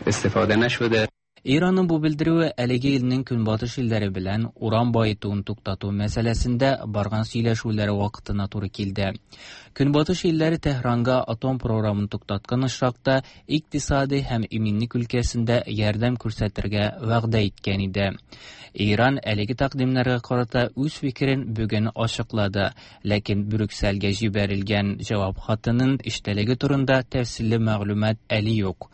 İstifade nəşudə. İranın bu bildirüvü әлеге илнең көнбатыш илләре белән уран байытуын туктату мәсьәләсендә барган сөйләшүләре вакытына туры килде. Көнбатыш илләре Тәһранга атом програмын туктаткан очракта икътисади һәм иминлек өлкәсендә ярдәм күрсәтергә вәгъдә иткән иде. Иран әлеге тәкъдимнәргә карата үз фикерен бүген ачыклады, ләкин Брюссельгә җибәрелгән җавап хатының эчтәлеге турында тәфсилле мәгълүмат әле юк.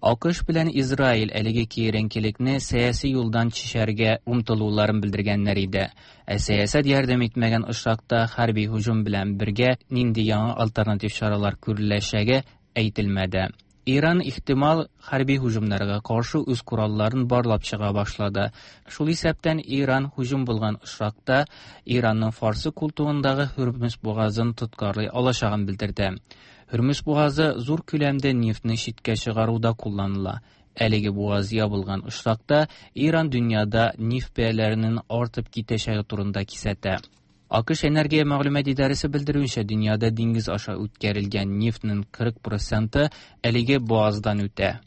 АКШ белән Израиль әлеге киеренкелекне сәяси юлдан чишәргә омтылуларын белдергәннәр иде. Ә сәясәт ярдәм итмәгән очракта хәрби һөҗүм белән бергә нинди яңа альтернатив чаралар күреләчәге әйтелмәде. Иран ихтимал хәрби һөҗүмнәргә каршы үз коралларын барлап чыга башлады. Шул исәптән Иран һөҗүм булган очракта Иранның Фарсы култыгындагы Һөрмүз бугазын тоткарлый алачагын белдерде. Һөрмүз бугазы зур күләмдә нефтне читкә чыгаруда кулланыла. Әлеге бугаз ябылган очракта Иран дөньяда нефть бәяләренең артып китәчәге турында кисәтә. АКШ энергия мәгълүмат идарәсе белдерүенчә, дөньяда диңгез аша үткәрелгән нефтнең кырык проценты әлеге бугаздан үтә.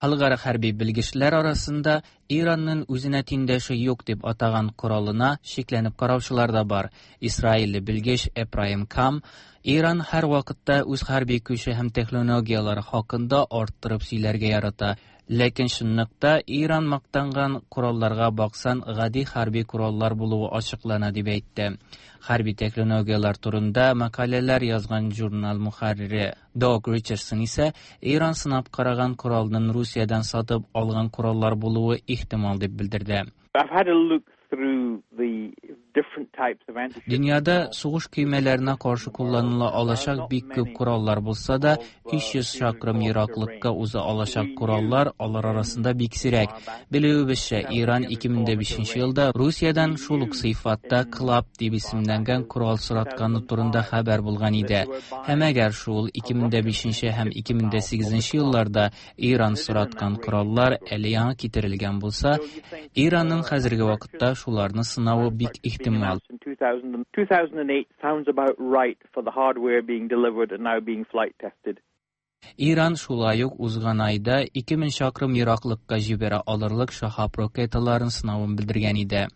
Халыкара хәрби белгечләр арасында Иранның үзенә тиңдәше юк дип атаган коралына шикләнеп караучылар да бар. Исраилле белгеч Эпраим Кам Иран һәр вакытта үз хәрби көче һәм технологияләре хакында арттырып сөйләргә ярата. Ләкин чынлыкта Иран мактанган коралларга баксан, гади хәрби кораллар булуы ачыклана дип әйтте. Хәрби технологияләр турында мәкаләләр язган журнал мөхәррире Дог Ричардсон исә Иран сынап караган коралның Русиядән сатып алган кораллар булуы ихтимал дип белдерде. I've had a look through the different types of anti Дөньяда сугыш көймәләренә каршы кулланыла алачак бик күп кораллар булса да, өч йөз чакрым ераклыкка уза алачак кораллар алар арасында бик сирәк. Белүебезчә, Иран ике мең дә бишенче елда Русиядән шул ук сыйфатта Клап дип исемләнгән корал соратканы турында хәбәр булган иде. Һәм әгәр шул ике мең дә бишенче һәм ике мең дә сигезенче елларда Иран сораткан кораллар әле яңа китерелгән булса, Иранның хәзерге вакытта шуларны сынавы бик ихтимал. two thousand, two thousand eight sounds about right for the hardware being delivered and now being flight tested. Иран шулай ук узган айда ике мең чакрым ераклыкка җибәрә алырлык Шахаб ракеталарын сынавын белдергән иде.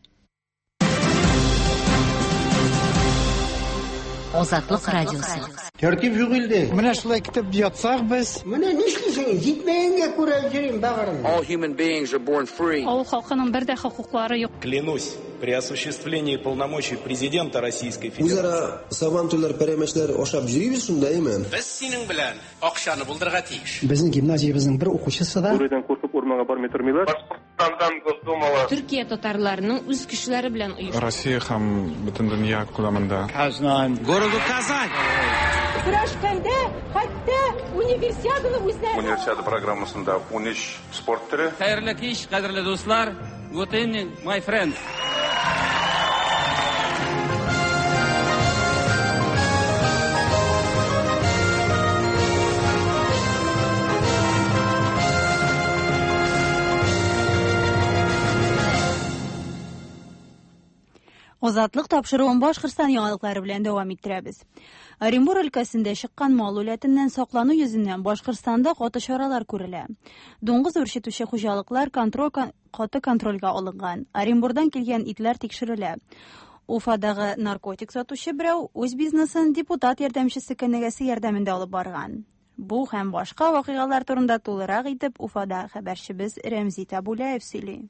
Азатлык радиосы. Тәртип юк илдә. Менә шулай көтеп ятсак без. Менә нишлисең? Җитмәгәнгә күрә йөрим багырым. All human beings are born free. Авыл халкының бер дә хокуклары юк. Клянусь, при осуществлении полномочий президента Российской Федерации. Үзара сабантуйлар, пәрәмәчләр ашап йөрибез шунда, әйме? Без синең белән акчаны булдырырга тиеш. Безнең гимназиябезнең бер укучысы да Бүредән куркып урманга бармый тормыйлар. Башкортстандан Госдумала. Төркия татарларының үз кешеләре белән оешты. Россия һәм бөтен дөнья күләмендә. Казан. Городу Казань. Көрәшкәндә хәтта универсиаданы үзләре. Универсиада программасында ун өч спорт төре. Хәерле кич, кадерле дуслар. Good evening, my friends. Азатлык тапшыруын Башкортстан яңалыклары белән дәвам иттерәбез. Оренбур өлкәсендә чыккан мал үләтеннән саклану йөзеннән Башкортстанда каты чаралар күрелә. Дуңгыз үрчетүче хуҗалыклар контроль каты контрольгә алынган. Оренбурдан килгән итләр тикшерелә. Уфадагы наркотик сатучы берәү үз бизнесын депутат ярдәмчесе кенәгәсе ярдәмендә алып барган. Бу һәм башка вакыйгалар турында тулырак итеп Уфада хәбәрчебез Рәмзи Табулаев сөйли.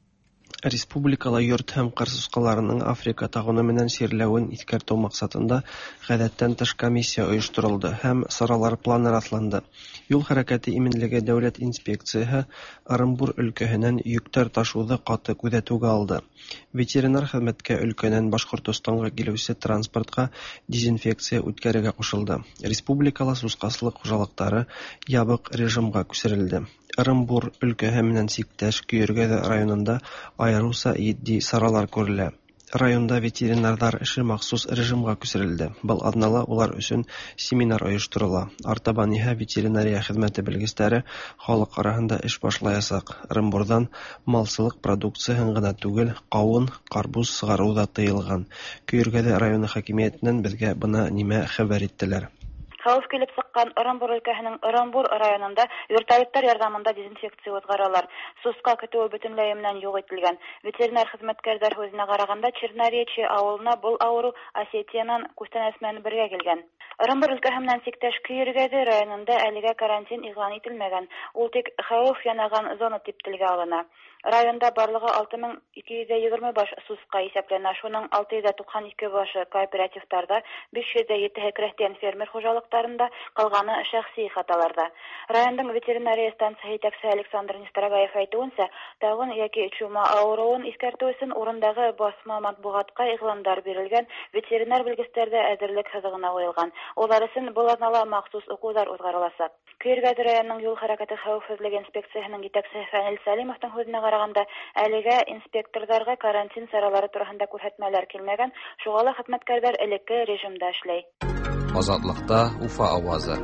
Республикала йорт һәм кыр сускаларының Африка тагуны менән чирләвен искәртү максатында гадәттән тыш комиссия оештырылды һәм саралар планы расланды. Юл хәрәкәте иминлеге дәүләт инспекцияһы Ырымбур өлкәһеннән йөктәр ташуды каты күзәтүгә алды. Ветеринар хезмәткә өлкәнән Башкортостанга килүче транспортка дезинфекция үткәрергә кушылды. Республикала сускаслык хуҗалыклары ябык режимга күчерелде. Ырымбур өлкәһе менән сиктәш Көйөргәҙе районында айырыуса етди саралар күрелә. Районда ветеринарҙар эше махсус режимға күсерелде. Был аҙнала улар өсөн семинар ойошторола. Артабан иһә ветеринария хеҙмәте белгестәре халыҡ араһында эш башлаясаҡ. Ырымбурҙан малсылыҡ продукцияһын ғына түгел, ҡауын, ҡарбуз сығарыу ҙа тыйылған. Көйөргәҙе районы хакимиәтенән беҙгә бына нимә хәбәр иттеләр. Хәүеф килеп сыҡҡан Ырымбур өлкәһенең Ырымбур районында вертолеттар ярҙамында дезинфекция уҙғаралар. Сусҡа көтөүе бөтөнләй менән юҡ ителгән. Ветеринар хеҙмәткәрҙәр һүҙенә ҡарағанда, Черноречье ауылына был ауырыу Осетиянан күстәнәс менән бергә килгән. Ырымбур өлкәһе менән сиктәш Көйөргәҙе районында әлегә карантин иғлан ителмәгән. Ул тик хәүеф янаған зона тип телгә алына. Районда барлығы алты мең ике йөҙ егерме баш сусҡа иҫәпләнә. Шуның алты йөҙ туҡһан ике башы кооперативтарҙа, биш йөҙ ете крәҫтиән фермер хужалыҡтарында, ҡалғаны шәхси ихаталарҙа. Райондың ветеринария станцияһы етәксеһе Александр Нестерагаев әйтеүенсә, тағын йәки чума ауырыуын иҫкәртеү өсөн урындағы баҫма матбуғатҡа иғландар бирелгән, ветеринар белгестәр ҙә әҙерлек һыҙығына ҡуйылған. Улар өсөн был аҙнала махсус уҡыуҙар уҙғарыласаҡ. Көйөргәҙе районының юл хәрәкәте хәүефһеҙлеге инспекцияһының етәксеһе Фәнил Сәлимовтың һүҙенә ҡарағанда, әлегә инспекторҙарға карантин саралары тураһында күрһәтмәләр килмәгән, шуға ла хеҙмәткәрҙәр элекке режимда эшләй. Азатлыкта Уфа авазы.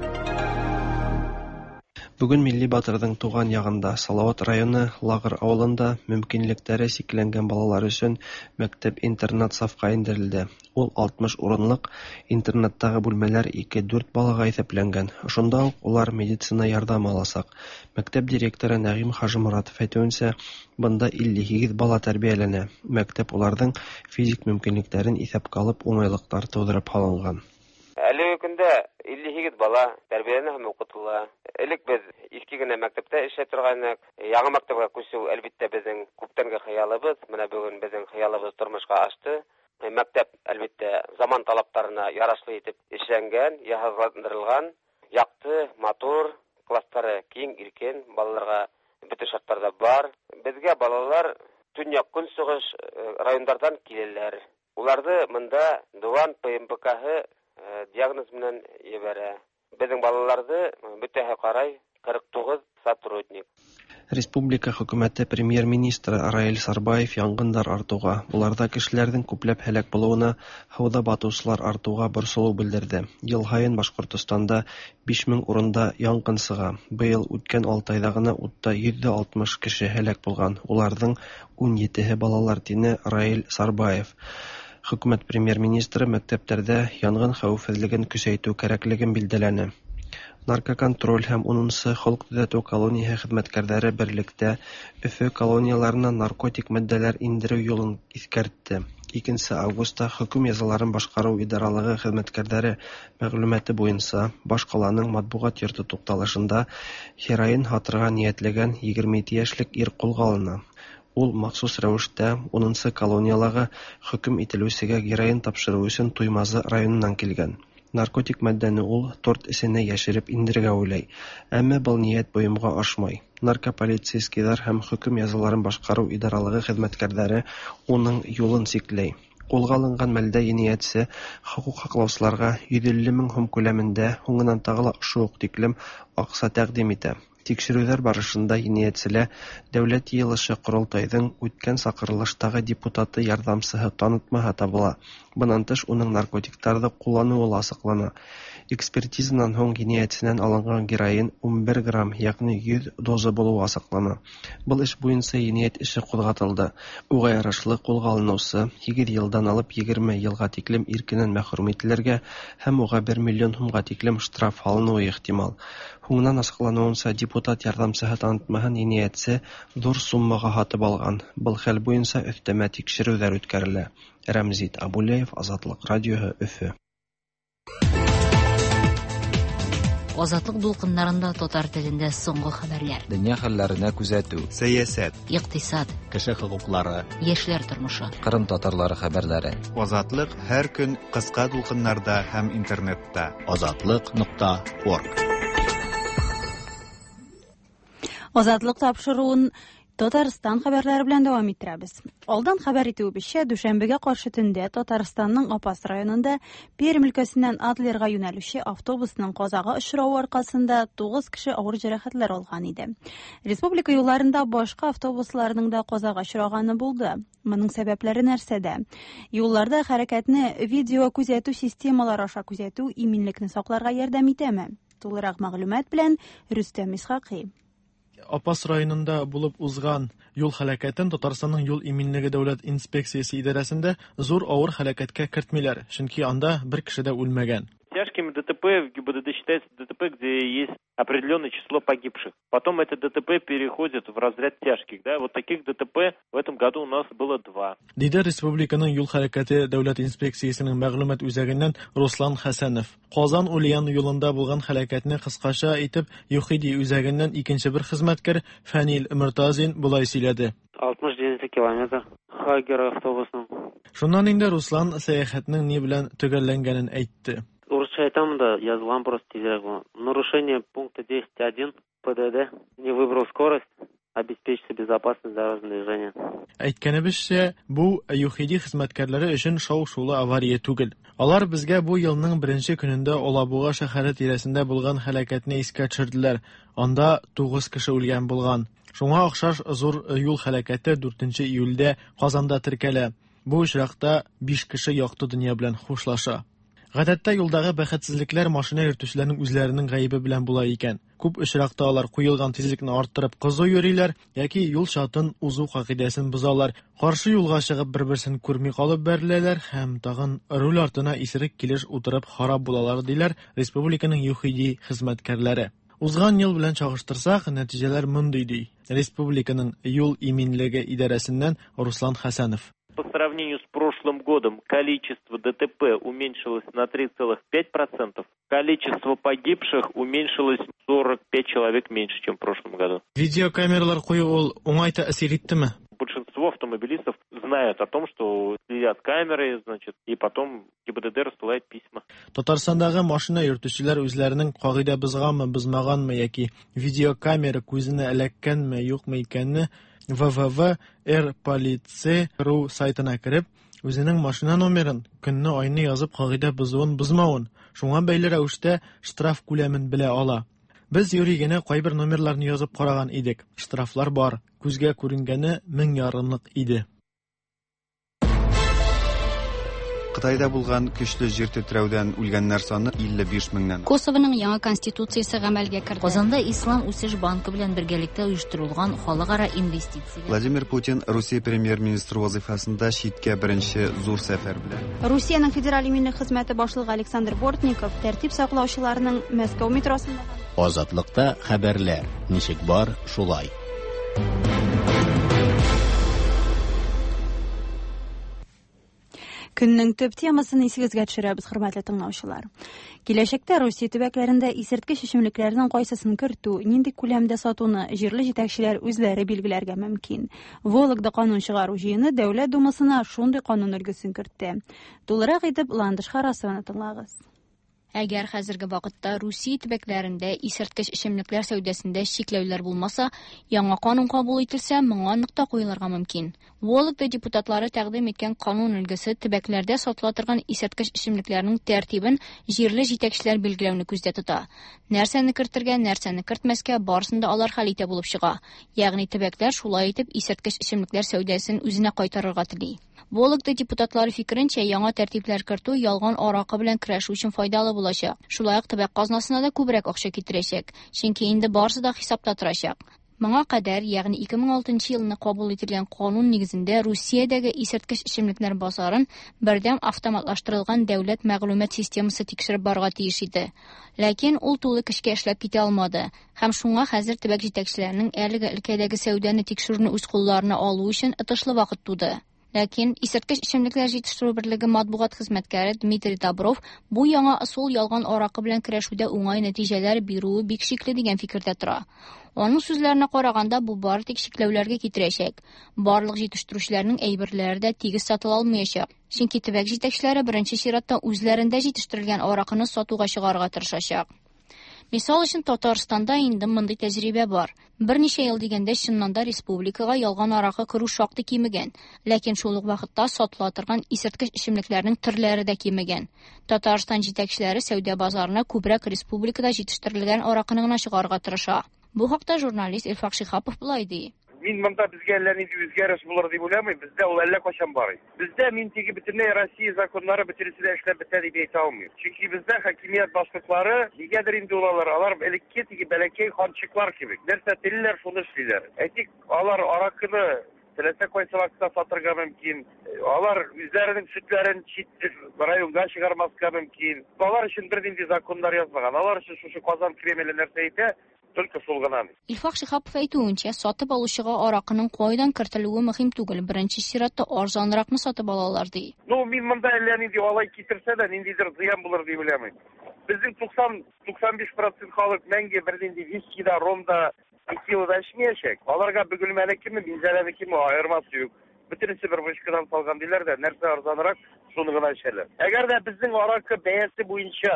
Бөгөн милли батырҙың туған яғында Салауат районы Лағыр ауылында мөмкинлектәре сикләнгән балалар өсөн мәктәп-интернат сафҡа индерелде. Ул алтмыш урынлыҡ интернаттағы бүлмәләр ике-дүрт балаға иҫәпләнгән. Ошонда уҡ улар медицина ярҙамы аласаҡ. Мәктәп директоры Нәғим Хажыморатов әйтеүенсә, бында илле һигеҙ бала тәрбиәләнә. Мәктәп уларҙың физик мөмкинлектәрен иҫәпкә алып уңайлыҡтар тыуҙырып һалынған. Әлеге көндә илле һигеҙ бала тәрбиәләнә һәм уҡытыла. Элек беҙ иҫке генә мәктәптә эшләй торғайныҡ. Яңы мәктәпкә күсеү әлбиттә беҙҙең күптәнге хыялыбыҙ. Менә бөгөн беҙҙең хыялыбыҙ тормошҡа ашты. Мәктәп әлбиттә заман талаптарына ярашлы итеп эшләнгән, йыһазландырылған, яҡты, матур, класстары киң, иркен, балаларға бөтә шарттар ҙа бар. Беҙгә балалар төньяҡ көнсығыш райондарҙан киләләр. Уларҙы бында Дыуан П М П К-һы диагноз менән ебәрә. Беҙҙең балаларҙы бөтәһе ҡарай ҡырҡ туғыҙ сотрудник. Республика хөкүмәте премьер-министры Раил Сарбаев яңғындар артыуға, уларҙа кешеләрҙең күпләп һәләк булыуына, һыуҙа батыусылар артыуға борсолоу белдерҙе. Йыл һайын Башҡортостанда биш мең урында яңғын сыға. Быйыл үткән алты айҙа ғына утта йөҙ ҙә алтмыш кеше һәләк булған. Уларҙың ун етеһе балалар, тине Раил Сарбаев. Хөкүмәт премьер-министры мәктәптәрҙә янғын хәүефһеҙлеген көсәйтеү кәрәклеген билдәләне. Наркоконтроль һәм унынсы холоҡ төҙәтеү колонияһы хеҙмәткәрҙәре берлектә Өфө колонияларына наркотик матдәләр индереү юлын иҫкәртте. Икенче августта хөкем язаларын башкару идаралыгы хезмәткәрләре мәгълүматы буенча башкаланың матбугат йорты тукталышында героин һатырга ниятләгән егерме ике яшьлек ир кулга алына. Ул махсус рәвештә унынчы колонияләге хөкем ителүчегә героин тапшыру өчен Туймазы районыннан килгән. Наркотик матдәне ул торт эченә яшереп индерергә уйлый. Әмма был ният бойымга ашмай. Наркополицейскийлар һәм хөкем язаларын башкару идаралыгы хезмәткәрләре уның юлын чикләй. Кулга алынган мәлдә җинаятьче хокук һаклаучыларга йөз илле мең һум күләмендә, һуңынан тагы ла шул ук тиклем акча тәкъдим итә. Тикшерүләр барышында җинаятьчеләр Дәүләт йыелышы Корылтайның үткән чакырылыштагы депутаты ярдәмчесе танытмаһы табыла. Быннан тыш уның наркотикларны куллануы ла асыклана. Экспертизадан һуң җинаятьчедән алынган героин унбер грамм, ягъни йөз доза булуы асыклана. Был эш буенча җинаять эше кузгатылды. Уга ярашлы кулга алынучы һигез елдан алып егерме елга тиклем иркеннән мәхрүм ителергә һәм уга бер миллион һумга тиклем штраф алынуы ихтимал. Һуңынан асыклануынча, депутат ярдәмчеһе танытмаһын җинаятьче зур суммага һатып алган. Был хәл буенча өҫтәмә тикшерүләр үткәрелә. Рәмзит Абулеев, Азатлык радиоһы, Өфө. Азатлык дулкыннарында татар телендә соңгы хәбәрләр. Дөнья хәлләренә күзәтү, сәясәт, икътисад, кеше хокуклары, яшьләр тормышы, Кырым татарлары хәбәрләре. Азатлык һәр көн кыска дулкыннарда һәм интернетта. Азатлык нокта орг. Азатлык тапшыруын Татарстан хәбәрләре белән дәвам иттерәбез. Алдан хәбәр итүебезчә, дүшәмбегә каршы төндә Татарстанның Апас районында Пермь өлкәсеннән Адлерга юнәлүче автобусның казага очравы аркасында тугыз кеше авыр җәрәхәтләр алган иде. Республика юлларында башка автобусларның да казага очраганы булды. Моның сәбәпләре нәрсәдә? Юлларда хәрәкәтне видео күзәтү системалары аша күзәтү иминлекне сакларга ярдәм итәме? Тулырак мәгълүмат белән Рөстәм Исхакый. Апас районында булып узган юл һәлакәтен Татарстанның юл иминлеге дәүләт инспекциясе идарәсендә зур авыр һәлакәткә кертмиләр, чөнки анда бер кеше дә үлмәгән. Тяжкими ДТП в ГИБДД считается ДТП, где есть определенное число погибших. Потом это ДТП переходит в разряд тяжких. Да? Вот таких ДТП в этом году у нас было два. Диде Республиканың юл хәрәкәте дәүләт инспекциясенең мәгълүмат үзәгеннән Руслан Хәсәнов. Казан Ульян юлында булган һәлакәтне кыскача итеп ЮХИДИ үзәгеннән икенче бер хезмәткәр Фәнил Мортазин болай сөйләде. алтмыш җиде километр Хагер автобусының. Шуннан инде Руслан сәяхәтнең ни белән төгәлләнгәнен әйтте. Урысча әйтәм да, язылган просто тизрәк булган. Нарушение пункта десять один ПДД, не выбрал скорость, обеспечьте безопасность дорожного движения. Әйткәнебезчә, бу ЮХИДИ хезмәткәрләре өчен шау-шулы авария түгел. Алар безгә бу елның беренче көнендә Алабуга шәһәре тирәсендә булган һәлакәтне искә төшерделәр. Анда тугыз кеше үлгән булган. Шуңа охшаш зур юл һәлакәте дүртенче июльдә Казанда теркәлә. Бу очракта биш кеше якты дөнья белән хушлаша. Гадәттә юлдагы бәхетсезлекләр машина йөртүчеләрнең үзләренең гаебе белән була икән. Күп очракта алар куелган тизлекне арттырып кызу йөриләр яки юл чатын узу кагыйдәсен бозалар. Каршы юлга чыгып бер-берсен күрми калып бәреләләр һәм тагын руль артына исерек килеш утырып харап булалар, диләр республиканың ЮХИДИ хезмәткәрләре. Узган ел белән чагыштырсак, нәтиҗәләр мондый ди. Республиканың юл иминлеге идарәсеннән Руслан Хәсәнов. По сравнению с прошлым годом количество ДТП уменьшилось на три целых пять процентов, количество погибших уменьшилось сорок пять человек меньше, чем в прошлом году. Видеокамералар кую ул уңай тәэсир иттеме? Большинство автомобилистов знают о том, что следят камеры, значит, и потом ГИБДД рассылает письма. Татарстандагы машина йөртүчеләр үзләренең кагыйдә бозганмы, бозмаганмы яки видеокамера күзенә эләккәнме, юкмы икәнне вэ вэ вэ эр полиция точка ру сайтына кереп, үзенең машина номерын, көнне, айны язып кагыйдә бозуын, бозмавын, шуңа бәйле рәвештә штраф күләмен белә ала. Без юри генә кайбер номерларны язып караган идек. Штрафлар бар, күзгә күренгәне мең ярымлык иде. Кытайда булган көчле җир тетрәүдән үлгәннәр саны илле биш меңнән. Косованың яңа конституциясе гамәлгә керде. Казанда Ислам үсеш банкы белән бергәлектә оештырылган халыкара инвестиция. Владимир Путин Русия премьер-министры вазифасында читкә беренче зур сәфәр белән. Русиянең федераль иминлек хезмәте башлыгы Александр Бортников тәртип саклаучыларның Мәскәү метросында Азатлыкта хәбәрләр ничек бар, шулай. Көннең төп темасын исегезгә төшерәбез, хөрмәтле тыңлаучылар. Киләчәктә Русия төбәкләрендә исерткеч эчемлекләрнең кайсысын кертү, нинди күләмдә сатуны җирле җитәкчеләр үзләре билгеләргә мөмкин. Вологда канун чыгару җыены Дәүләт Думасына шундый канун өлгесен кертте. Тулырак итеп Ландыш Харасованы тыңлагыз. Әгәр хәзерге вакытта Русия төбәкләрендә исерткеч эчемлекләр сәүдәсендә чикләүләр булмаса, яңа канун кабул ителсә, моңа нокта куелырга мөмкин. Вологда депутатлары тәкъдим иткән канун өлгесе төбәкләрдә сатыла торган исерткеч эчемлекләрнең тәртибен җирле җитәкчеләр билгеләүне күздә тота. Нәрсәне кертергә, нәрсәне кертмәскә, барысын да алар хәл итә булып чыга. Ягъни төбәкләр шулай итеп исерткеч эчемлекләр сәүдәсен үзенә кайтарырга тели. Вологда депутатлары фикеренчә, яңа тәртипләр кертү ялган аракы белән көрәшү өчен файдалы булачак. Шулай ук төбәк казнасына да күбрәк акча китерәчәк, чөнки инде барысы да хисапта торачак. Моңа кадәр, ягъни ике мең алтынчы елны кабул ителгән канун нигезендә Русиядәге исерткеч эчемлекләр базарын бердәм автоматлаштырылган дәүләт мәгълүмат системасы тикшереп барырга тиеш иде. Ләкин ул тулы көчкә эшләп китә алмады һәм шуңа хәзер төбәк җитәкчеләренең әлеге өлкәдәге сәүдәне тикшерүне үз кулларына алу өчен отышлы вакыт туды. Ләкин исерткеч эчемлекләр җитештерү берлеге матбугат хезмәткәре Дмитрий Добров бу яңа ысул ялган аракы белән көрәшүдә уңай нәтиҗәләр бирүе бик шикле дигән фикердә тора. Аның сүзләренә караганда, бу бары тик чикләүләргә китерәчәк. Барлык җитештерүчеләрнең әйберләре дә тигез сатыла алмаячак. Чөнки төбәк җитәкчеләре беренче чиратта үзләрендә җитештерелгән аракыны сатуга чыгарырга тырышачак. Мисал өчен, Татарстанда инде мондый тәҗрибә бар. Берничә ел дигәндә чыннан да республикага ялган аракы керү шактый кимегән, ләкин шул ук вакытта сатыла торган исерткеч эчемлекләрнең төрләре дә кимегән. Татарстан җитәкчеләре сәүдә базарына күбрәк республикада җитештерелгән аракыны гына чыгарырга тырыша. Бу хакта журналист Илфак Шиһапов болай ди. Мин монда безгә әллә нинди үзгәреш булыр дип уйламыйм, бездә ул әллә кайчан бар. Бездә мин теге бөтенләй Россия законнары бөтенесе дә эшләп бетә дип әйтә алмыйм. Чөнки бездә хакимият башлыклары нигәдер инде ул алар, алар элекке теге бәләкәй ханчыклар кебек. Нәрсә телиләр, шуны эшлиләр. Әйтик, алар аракыны теләсә кайсы вакытта сатырга мөмкин. Алар үзләренең сөтләрен чит районга чыгармаска мөмкин. Алар өчен бернинди законнар язмаган. Алар өчен шушы Казан Кремле нәрсә әйтә, только шул гына. Илфак Шиһапов әйтүенчә, сатып алучыга аракының кайдан кертелүе мөһим түгел, беренче чиратта арзанракны сатып алалар ди. Ну, мин монда әллә нинди алай китерсә дә, ниндидер зыян булыр дип уйламыйм. Безнең туксан туксан биш процент халык мәңге бернинди виски да, ром да, текила да эчмәячәк. Аларга Бөгелмәнекеме, Минзәләнекеме аермасы юк. Бөтенесе бер вышкадан салган диләр дә, нәрсә арзанрак, шуны гына эчәләр. Әгәр дә безнең аракы бәясе буенча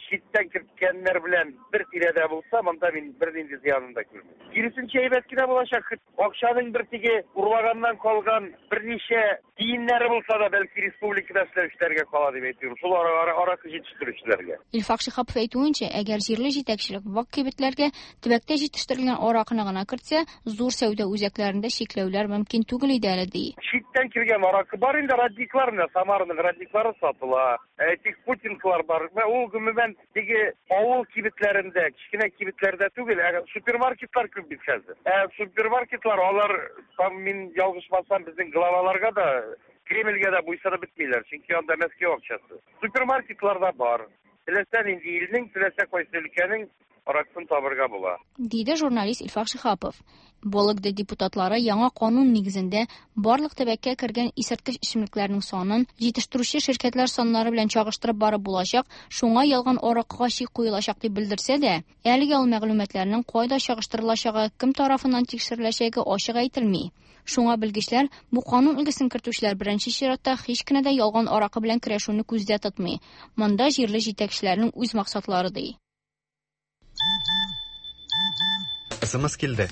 читтән керткәннәр белән бер тирәдә булса, монда мин бернинди зыянын да күрмим. Киресенчә әйбәт кенә булачак. Акчаның бер теге урлаганнан калган берничә тиеннәре булса да, бәлки республикада эшләүчеләргә кала дип әйтүем. Шул аракы җитештерүчеләргә. Илфак Шиһапов әйтүенчә, әгәр җирле җитәкчелек вак кибетләргә төбәктә җитештерелгән аракыны гына кертсә, зур сәүдә үзәкләрендә чикләүләр мөмкин түгел иде әле ди. Читтән килгән аракы бар инде, родниклар менә, Самараның родниклары сатыла. Әйтик, путинкалар бар. Ул гомумән теге авыл кибетләрендә, кечкенә кибетләрдә түгел, ә супермаркетлар күп бит хәзер. Ә супермаркетлар алар, там мин ялгышмасам, безнең главаларга да, Кремльгә дә буйсынып бетмиләр, чөнки анда Мәскәү акчасы. Супермаркетларда бар. Теләсә нинди илнең, теләсә кайсы өлкәнең аракысын табырга була, диде журналист Илфак Шиһапов. Вологда депутатлары яңа канун нигезендә барлык төбәккә кергән исерткеч эчемлекләрнең санын җитештерүче ширкәтләр саннары белән чагыштырып барып булачак, шуңа ялган аракыга чик куелачак дип белдерсә дә, әлегә ул мәгълүматларның кайда чагыштырылачагы, кем тарафыннан тикшереләчәге ачык әйтелми. Шуңа белгечләр бу канун өлгесен кертүчеләр беренче чиратта һич кенә дә ялган аракы белән көрәшүне күздә тотмый. Монда җирле җитәкчеләрнең үз максатлары ди. СМС килде.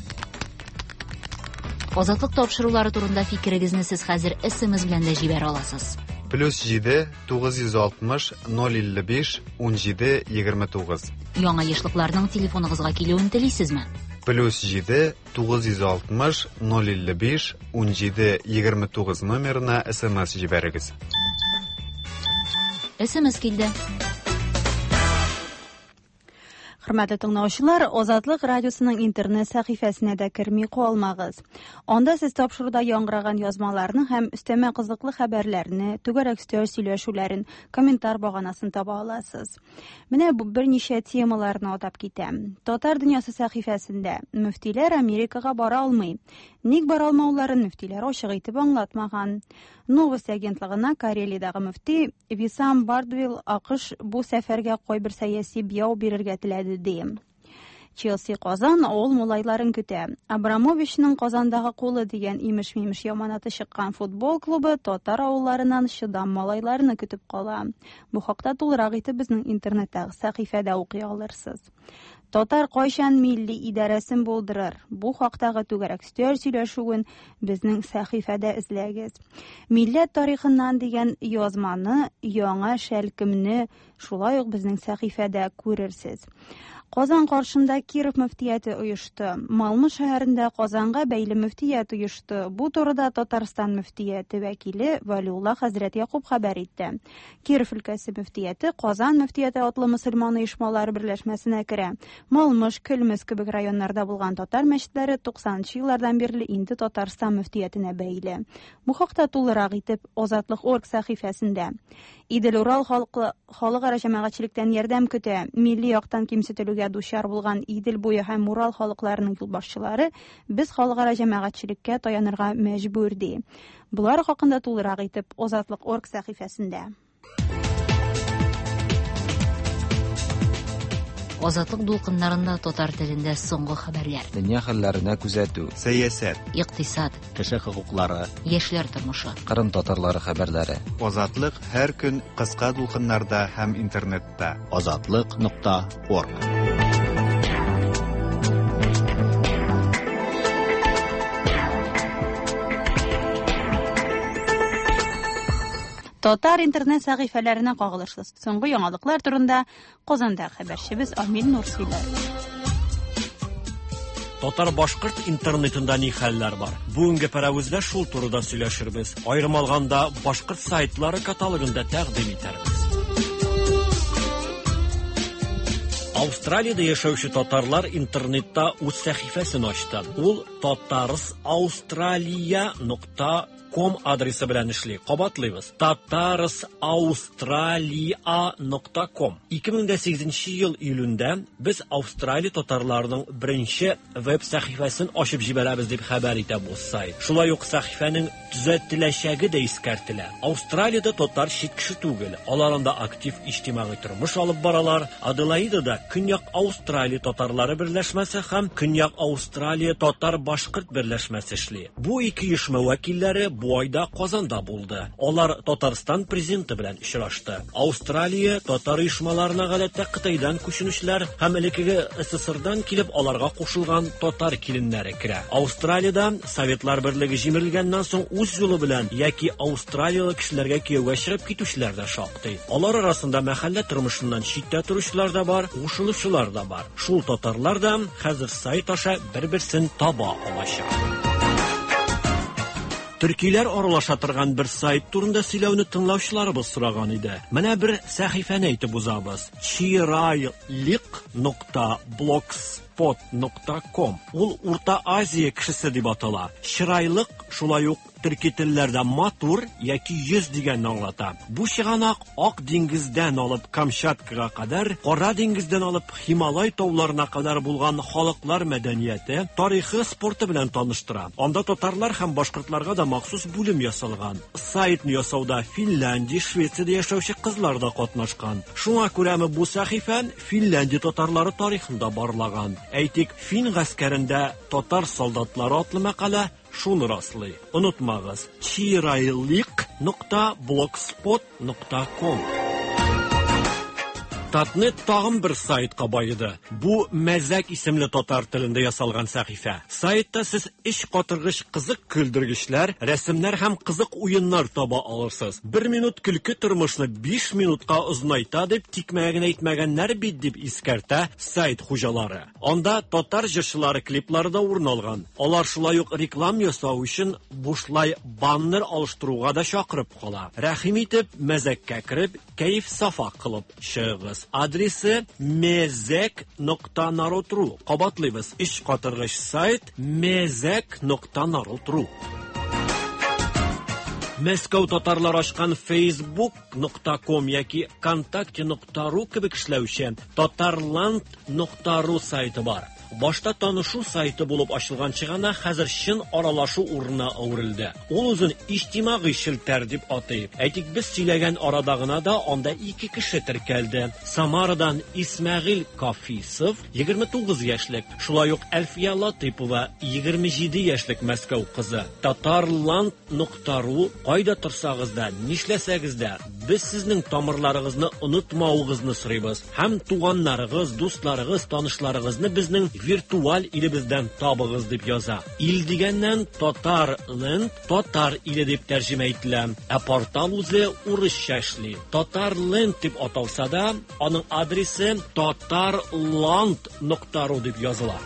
Азатлык тапшырулары турында фикерегезне сез хәзер СМС белән дә җибәрә аласыз. Плюс җиде тугыз йөз алтмыш ноль илле биш ун җиде егерме тугыз. Яңа ешлыкларның телефоныгызга килүен телисезме? Плюс җиде тугыз йөз алтмыш ноль илле биш ун җиде егерме тугыз номерына СМС җибәрегез. СМС килде. Хөрмәтле тыңлаучылар, Азатлык радиосының интернет сәхифәсенә дә керми калмагыз. Анда сез тапшыруда яңгыраган язмаларны һәм өстәмә кызыклы хәбәрләрне, түгәрәк өстәл сөйләшүләрен, комментар баганасын таба аласыз. Менә бу берничә темаларны атап китәм. Татар дөньясы сәхифәсендә мөфтиләр Америкага бара алмый. Ник бара алмауларын мөфтиләр ачык итеп аңлатмаган. Новости агентлыгына Карелиядәге мөфти Висам Бардвил АКШ бу сәфәргә кайбер сәяси бияү бирергә теләде ди. Челси Казан авыл малайларын көтә. Абрамовичның Казандагы кулы дигән имеш-мимеш яманаты чыккан футбол клубы татар авылларыннан чыдам малайларны көтеп кала. Бу хакта тулырак итеп безнең интернеттагы сәхифәдә укый алырсыз. Татар кайчан милли идарәсен булдырыр? Бу хактагы түгәрәк өстәл сөйләшүен безнең сәхифәдә эзләгез. Милләт тарихыннан дигән язманы, яңа шәлкемне шулай ук безнең сәхифәдә күрерсез. Казан каршында Киров мөфтияте оешты. Малмы шәһәрендә Казанга бәйле мөфтият оешты. Бу турыда Татарстан мөфтияте вәкиле Валиулла хәзрәт Якуб хәбәр итте. Киров өлкәсе мөфтияте Казан мөфтияте атлы мөселман оешмалары берләшмәсенә керә. Малмыш, Көлмез кебек районнарда булган татар мәчетләре туксанынчы еллардан бирле инде Татарстан мөфтиятенә бәйле. Бу хакта тулырак итеп Азатлык орг сәхифәсендә. Идел-Урал халкы халыкара җәмәгатьчелектән ярдәм көтә. Милли яктан кимсетелүгә дучар булган Идел буе һәм Урал халыкларының юлбашчылары без халыкара җәмәгатьчелеккә таянырга мәҗбүр ди. Булар хакында тулырак итеп Азатлык орг сәхифәсендә. Азатлык дулкыннарында татар телендә соңгы хәбәрләр. Дөнья хәлләренә күзәтү. Сәясәт, икътисад, кеше хокуклары, яшьләр тормышы. Кырым татарлары хәбәрләре. Азатлык һәр көн кыска дулкыннарда һәм интернетта. Азатлык нокта орг. Татар интернет сәхифәләренә кагылышлы соңгы яңалыклар турында Казанда хәбәрчебез Амил Нур сөйләр. Татар-башкорт интернетында ни хәлләр бар? Бүгенге пәрәвездә шул турыда сөйләшербез. Аерым алганда башкорт сайтлары каталогында тәкъдим итәрбез. Австралиядә яшәүче татарлар интернетта үз сәхифәсен ачты. Ул татарс австралия нокта ком адресы белән эшли. Кабатлыйбыз. татарс австралия нокта ком. ике мең сигезенче ел июлендә без Австралия татарларының беренче веб сәхифәсен ачып җибәрәбез дип хәбәр итә бу сайт. Шулай ук сәхифәнең төзәтеләчәге дә искәртелә. Австралиядә татар чит кеше түгел. Алар анда актив иҗтимагый тормыш алып баралар. Аделаидада Көньяк Австралия татарлары берләшмәсе һәм Көньяк Австралия татар-башкорт берләшмәсе эшли. Бу ике оешма вәкилләре бу айда Казанда булды. Алар Татарстан президенты белән очрашты. Австралия татар оешмаларына гадәттә Кытайдан күченүчеләр һәм элеккеге СССРдан килеп аларга кушылган татар киленнәре керә. Австралиядә Советлар берлеге җимерелгәннән соң үз юлы белән яки австралиялы кешеләргә кияүгә чыгып китүчеләр дә шактый. Алар арасында мәхәллә тормышыннан читтә торучылар да бар, кушылучылар да бар. Шул татарлар да хәзер сайт аша бер-берсен таба алачак. Төркиләр аралаша торган бер сайт турында сөйләүне тыңлаучыларыбыз сораган иде. Менә бер сәхифәне әйтеп узабыз. чирайлик нокта блогспот нокта ком. Ул Урта Азия кешесе дип атала. Чырайлык шулай ук төрки телләрдә матур яки йөз дигәнне аңлата. Бу чыганак Ак диңгездән алып Камчаткага кадәр, Кара диңгездән алып Һималай тауларына кадәр булган халыклар мәдәнияте, тарихы, спорты белән таныштыра. Анда татарлар һәм башкортларга да махсус бүлем ясалган. Сайтны ясауда Финляндия, Швециядә яшәүче кызлар да катнашкан. Шуңа күрәме бу сәхифә Финляндия татарлары тарихында барлаган. Әйтик, фин гаскәрендә татар солдатлары атлы мәкалә шуны раслый. Онытмагыз, чирайлик нокта блогспот нокта ком. Татнет тагын бер сайтка байыды. Бу Мәзәк исемле татар телендә ясалган сәхифә. Сайтта сез эш катыргыч кызык көлдергечләр, рәсемнәр һәм кызык уеннар таба алырсыз. Бер минут көлке тормышны биш минутка озынайта дип тикмәгә генә әйтмәгәннәр бит дип искәртә сайт хуҗалары. Анда татар җырчылары клиплары да урын алган. Алар шулай ук реклам ясау өчен бушлай баннер алыштыруга да чакырып кала. Рәхим итеп мәзәккә кереп, кәеф сафа кылып чыгыгыз. Адресы мезек нокта народ ру. Кабатлыйбыз. Эш катыргыч сайт мезек нокта народ ру. Мәскәү татарлар ачкан facebook нокта ком яки вконтакте нокта ру кебек эшләүче татарланд нокта ру сайты бар. Башта танышу сайты булып ачылган чыганак хәзер чын аралашу урынына әверелде. Ул үзен иҗтимагый челтәр дип атый. Әйтик, без сөйләгән арада гына да анда ике кеше теркәлде. Самарадан Исмәгыйль Кафисов, егерме тугыз яшьлек, шулай ук Әлфия Латыпова, егерме җиде яшьлек Мәскәү кызы. Татарланд нокта ру кайда торсагыз да, нишләсәгез дә, без сезнең тамырларыгызны онытмавыгызны сорыйбыз. Һәм туганнарыгыз, дусларыгыз, танышларыгызны безнең виртуаль илебездән табыгыз дип яза. Ил дигәннән Татарленд, татар иле дип тәрҗемә ителә. Ә портал үзе урысча эшли. Татарленд дип аталса да, аның адресы татарланд нокта ру дип языла.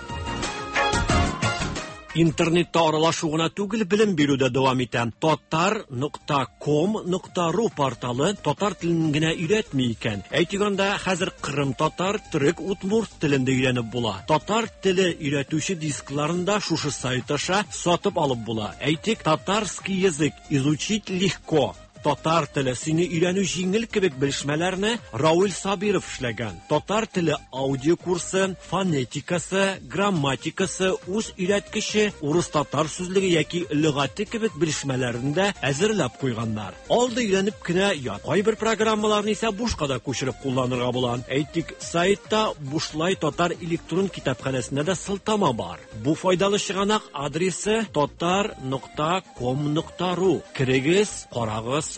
Интернетта аралашу гына түгел, белем бирү дә дәвам итә. Татар нокта ком нокта ру порталы татар телен генә өйрәтми икән. Әйтик анда, хәзер кырым татар, төрек, удмурт телен дә өйрәнеп була. Татар теле өйрәтүче дискларын да шушы сайт аша сатып алып була. Әйтик, татарский язык изучить легко. Татар теле сине өйрәнү җиңел кебек белешмәләрне Рауль Сабиров эшләгән. Татар теле аудио курсы, фонетикасы, грамматикасы, үз өйрәткече, урыс-татар сүзлеге яки лөгате кебек белешмәләрен дә әзерләп куйганнар. Алда өйрәнеп кенә ят. Кайбер программаларны исә бушка да күчереп кулланырга була. Әйтик, сайтта бушлай татар электрон китапханәсенә дә сылтама бар. Бу файдалы чыганак адресы татар нокта ком нокта ру. Керегез, карагыз.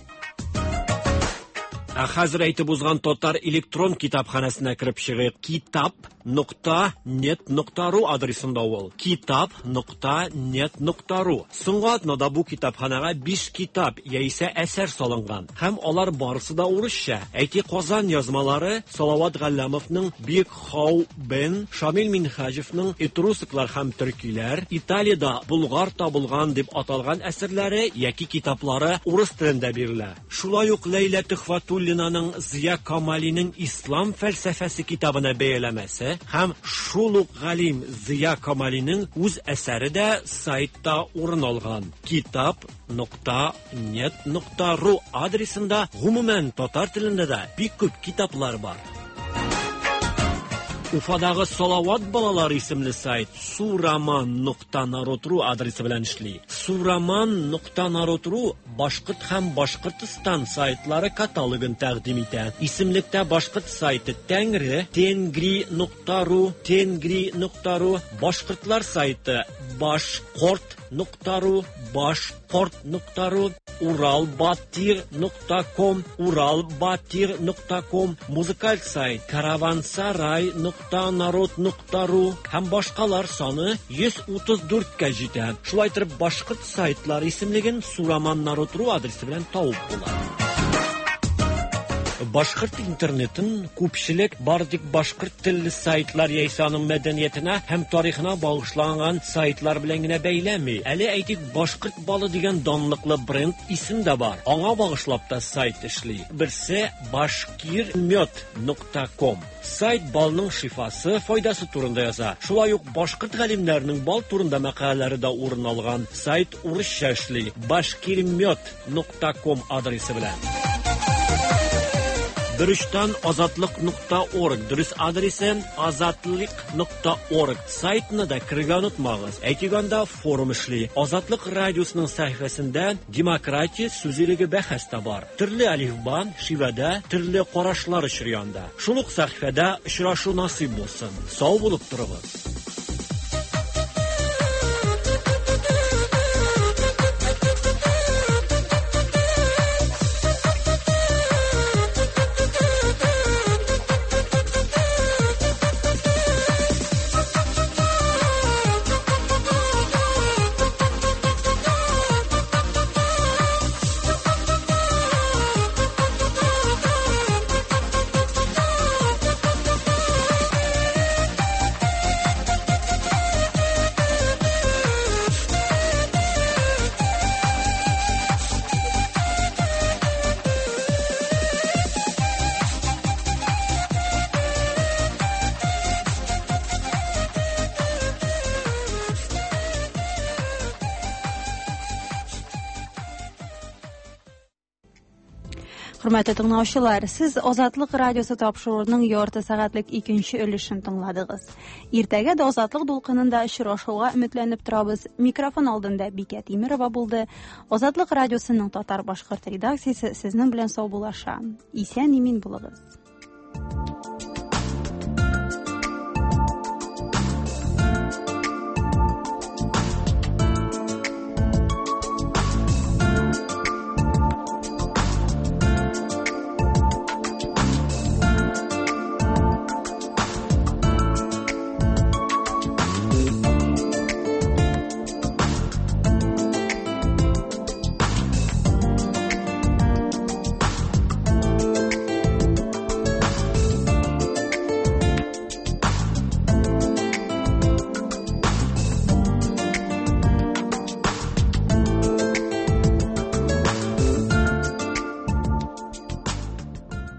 Ә хәзер әйтеп узган татар электрон китапханәсенә кереп чыгыйк. Китап нокта нет нокта ру адресында ул. Китап нокта нет нокта ру. Соңгы атнада бу китапханәгә биш китап яисә әсәр салынган. Һәм алар барысы да урысча. Әйтик, Казан язмалары Салават Галләмовның Бик Хау Бен, Шамил Минһаҗевның Этрусклар һәм төркиләр, Италиядә Булгар табылган дип аталган әсәрләре яки китаплары урыс телендә бирелә. Шулай ук Ләйлә Төхвәтуллинаның Зия Камалиның Ислам фәлсәфәсе китабына бәяләмәсе һәм шул ук галим Зия Камалиның үз әсәре дә сайтта урын алган. Китап нокта нет нокта ру адресында гомумән татар телендә дә бик күп китаплар бар. Уфадагы Салават балалары исемле сайт сураман нокта народ ру адресы белән эшли. Сураман нокта народ ру Башкорт һәм Башкортстан сайтлары каталогын тәкъдим итә. Исемлектә башкорт сайты Тәңре, Тенгри нокта ру, Тенгри нокта ру, башкортлар сайты Башкорт нокта ру, Башкорт нокта ру, Уралбатир нокта ком, Уралбатир нокта ком, музыкаль сайт Каравансарай нокта народ нокта ру һәм башкалар саны йөз утыз дүрткә җитә. Шулай итеп, башкорт сайтлары исемлеген Сураман народ ру адресы белән табып була. Башкорт интернетын күпчелек бары тик башкорт телле сайтлар яисә аның мәдәниятенә һәм тарихына багышланган сайтлар белән генә бәйләми. Әле әйтик, башкорт балы дигән данлыклы бренд исем дә бар. Аңа багышлап та сайт эшли. Берсе башкирмед нокта ком. Сайт балның шифасы, файдасы турында яза. Шулай ук башкорт галимнәренең бал турында мәкаләләре дә урын алган. Сайт урысча эшли. башкирмед нокта ком адресы белән. Дөрестән азатлык нокта орг, дөрес адресы азатлык нокта орг. Сайтны да керергә онытмагыз. Әйтик, анда форум эшли. Азатлык радиосының сәхифәсендә демократия сүз иреге бәхәс тә бар. Төрле әлифба, шивәдә төрле карашлар очрый анда. Шул ук сәхифәдә очрашу насыйп булсын. Сау булып торыгыз. Хөрмәтле тыңлаучылар, сез Азатлык радиосы тапшыруының ярты сәгатьлек икенче өлешен тыңладыгыз. Иртәгә дә Азатлык дулкынында очрашуга өметләнеп торабыз. Микрофон алдында Бикә Тимирова булды. Азатлык радиосының татар-башкорт редакциясе сезнең белән саубуллаша. Исән имин булыгыз.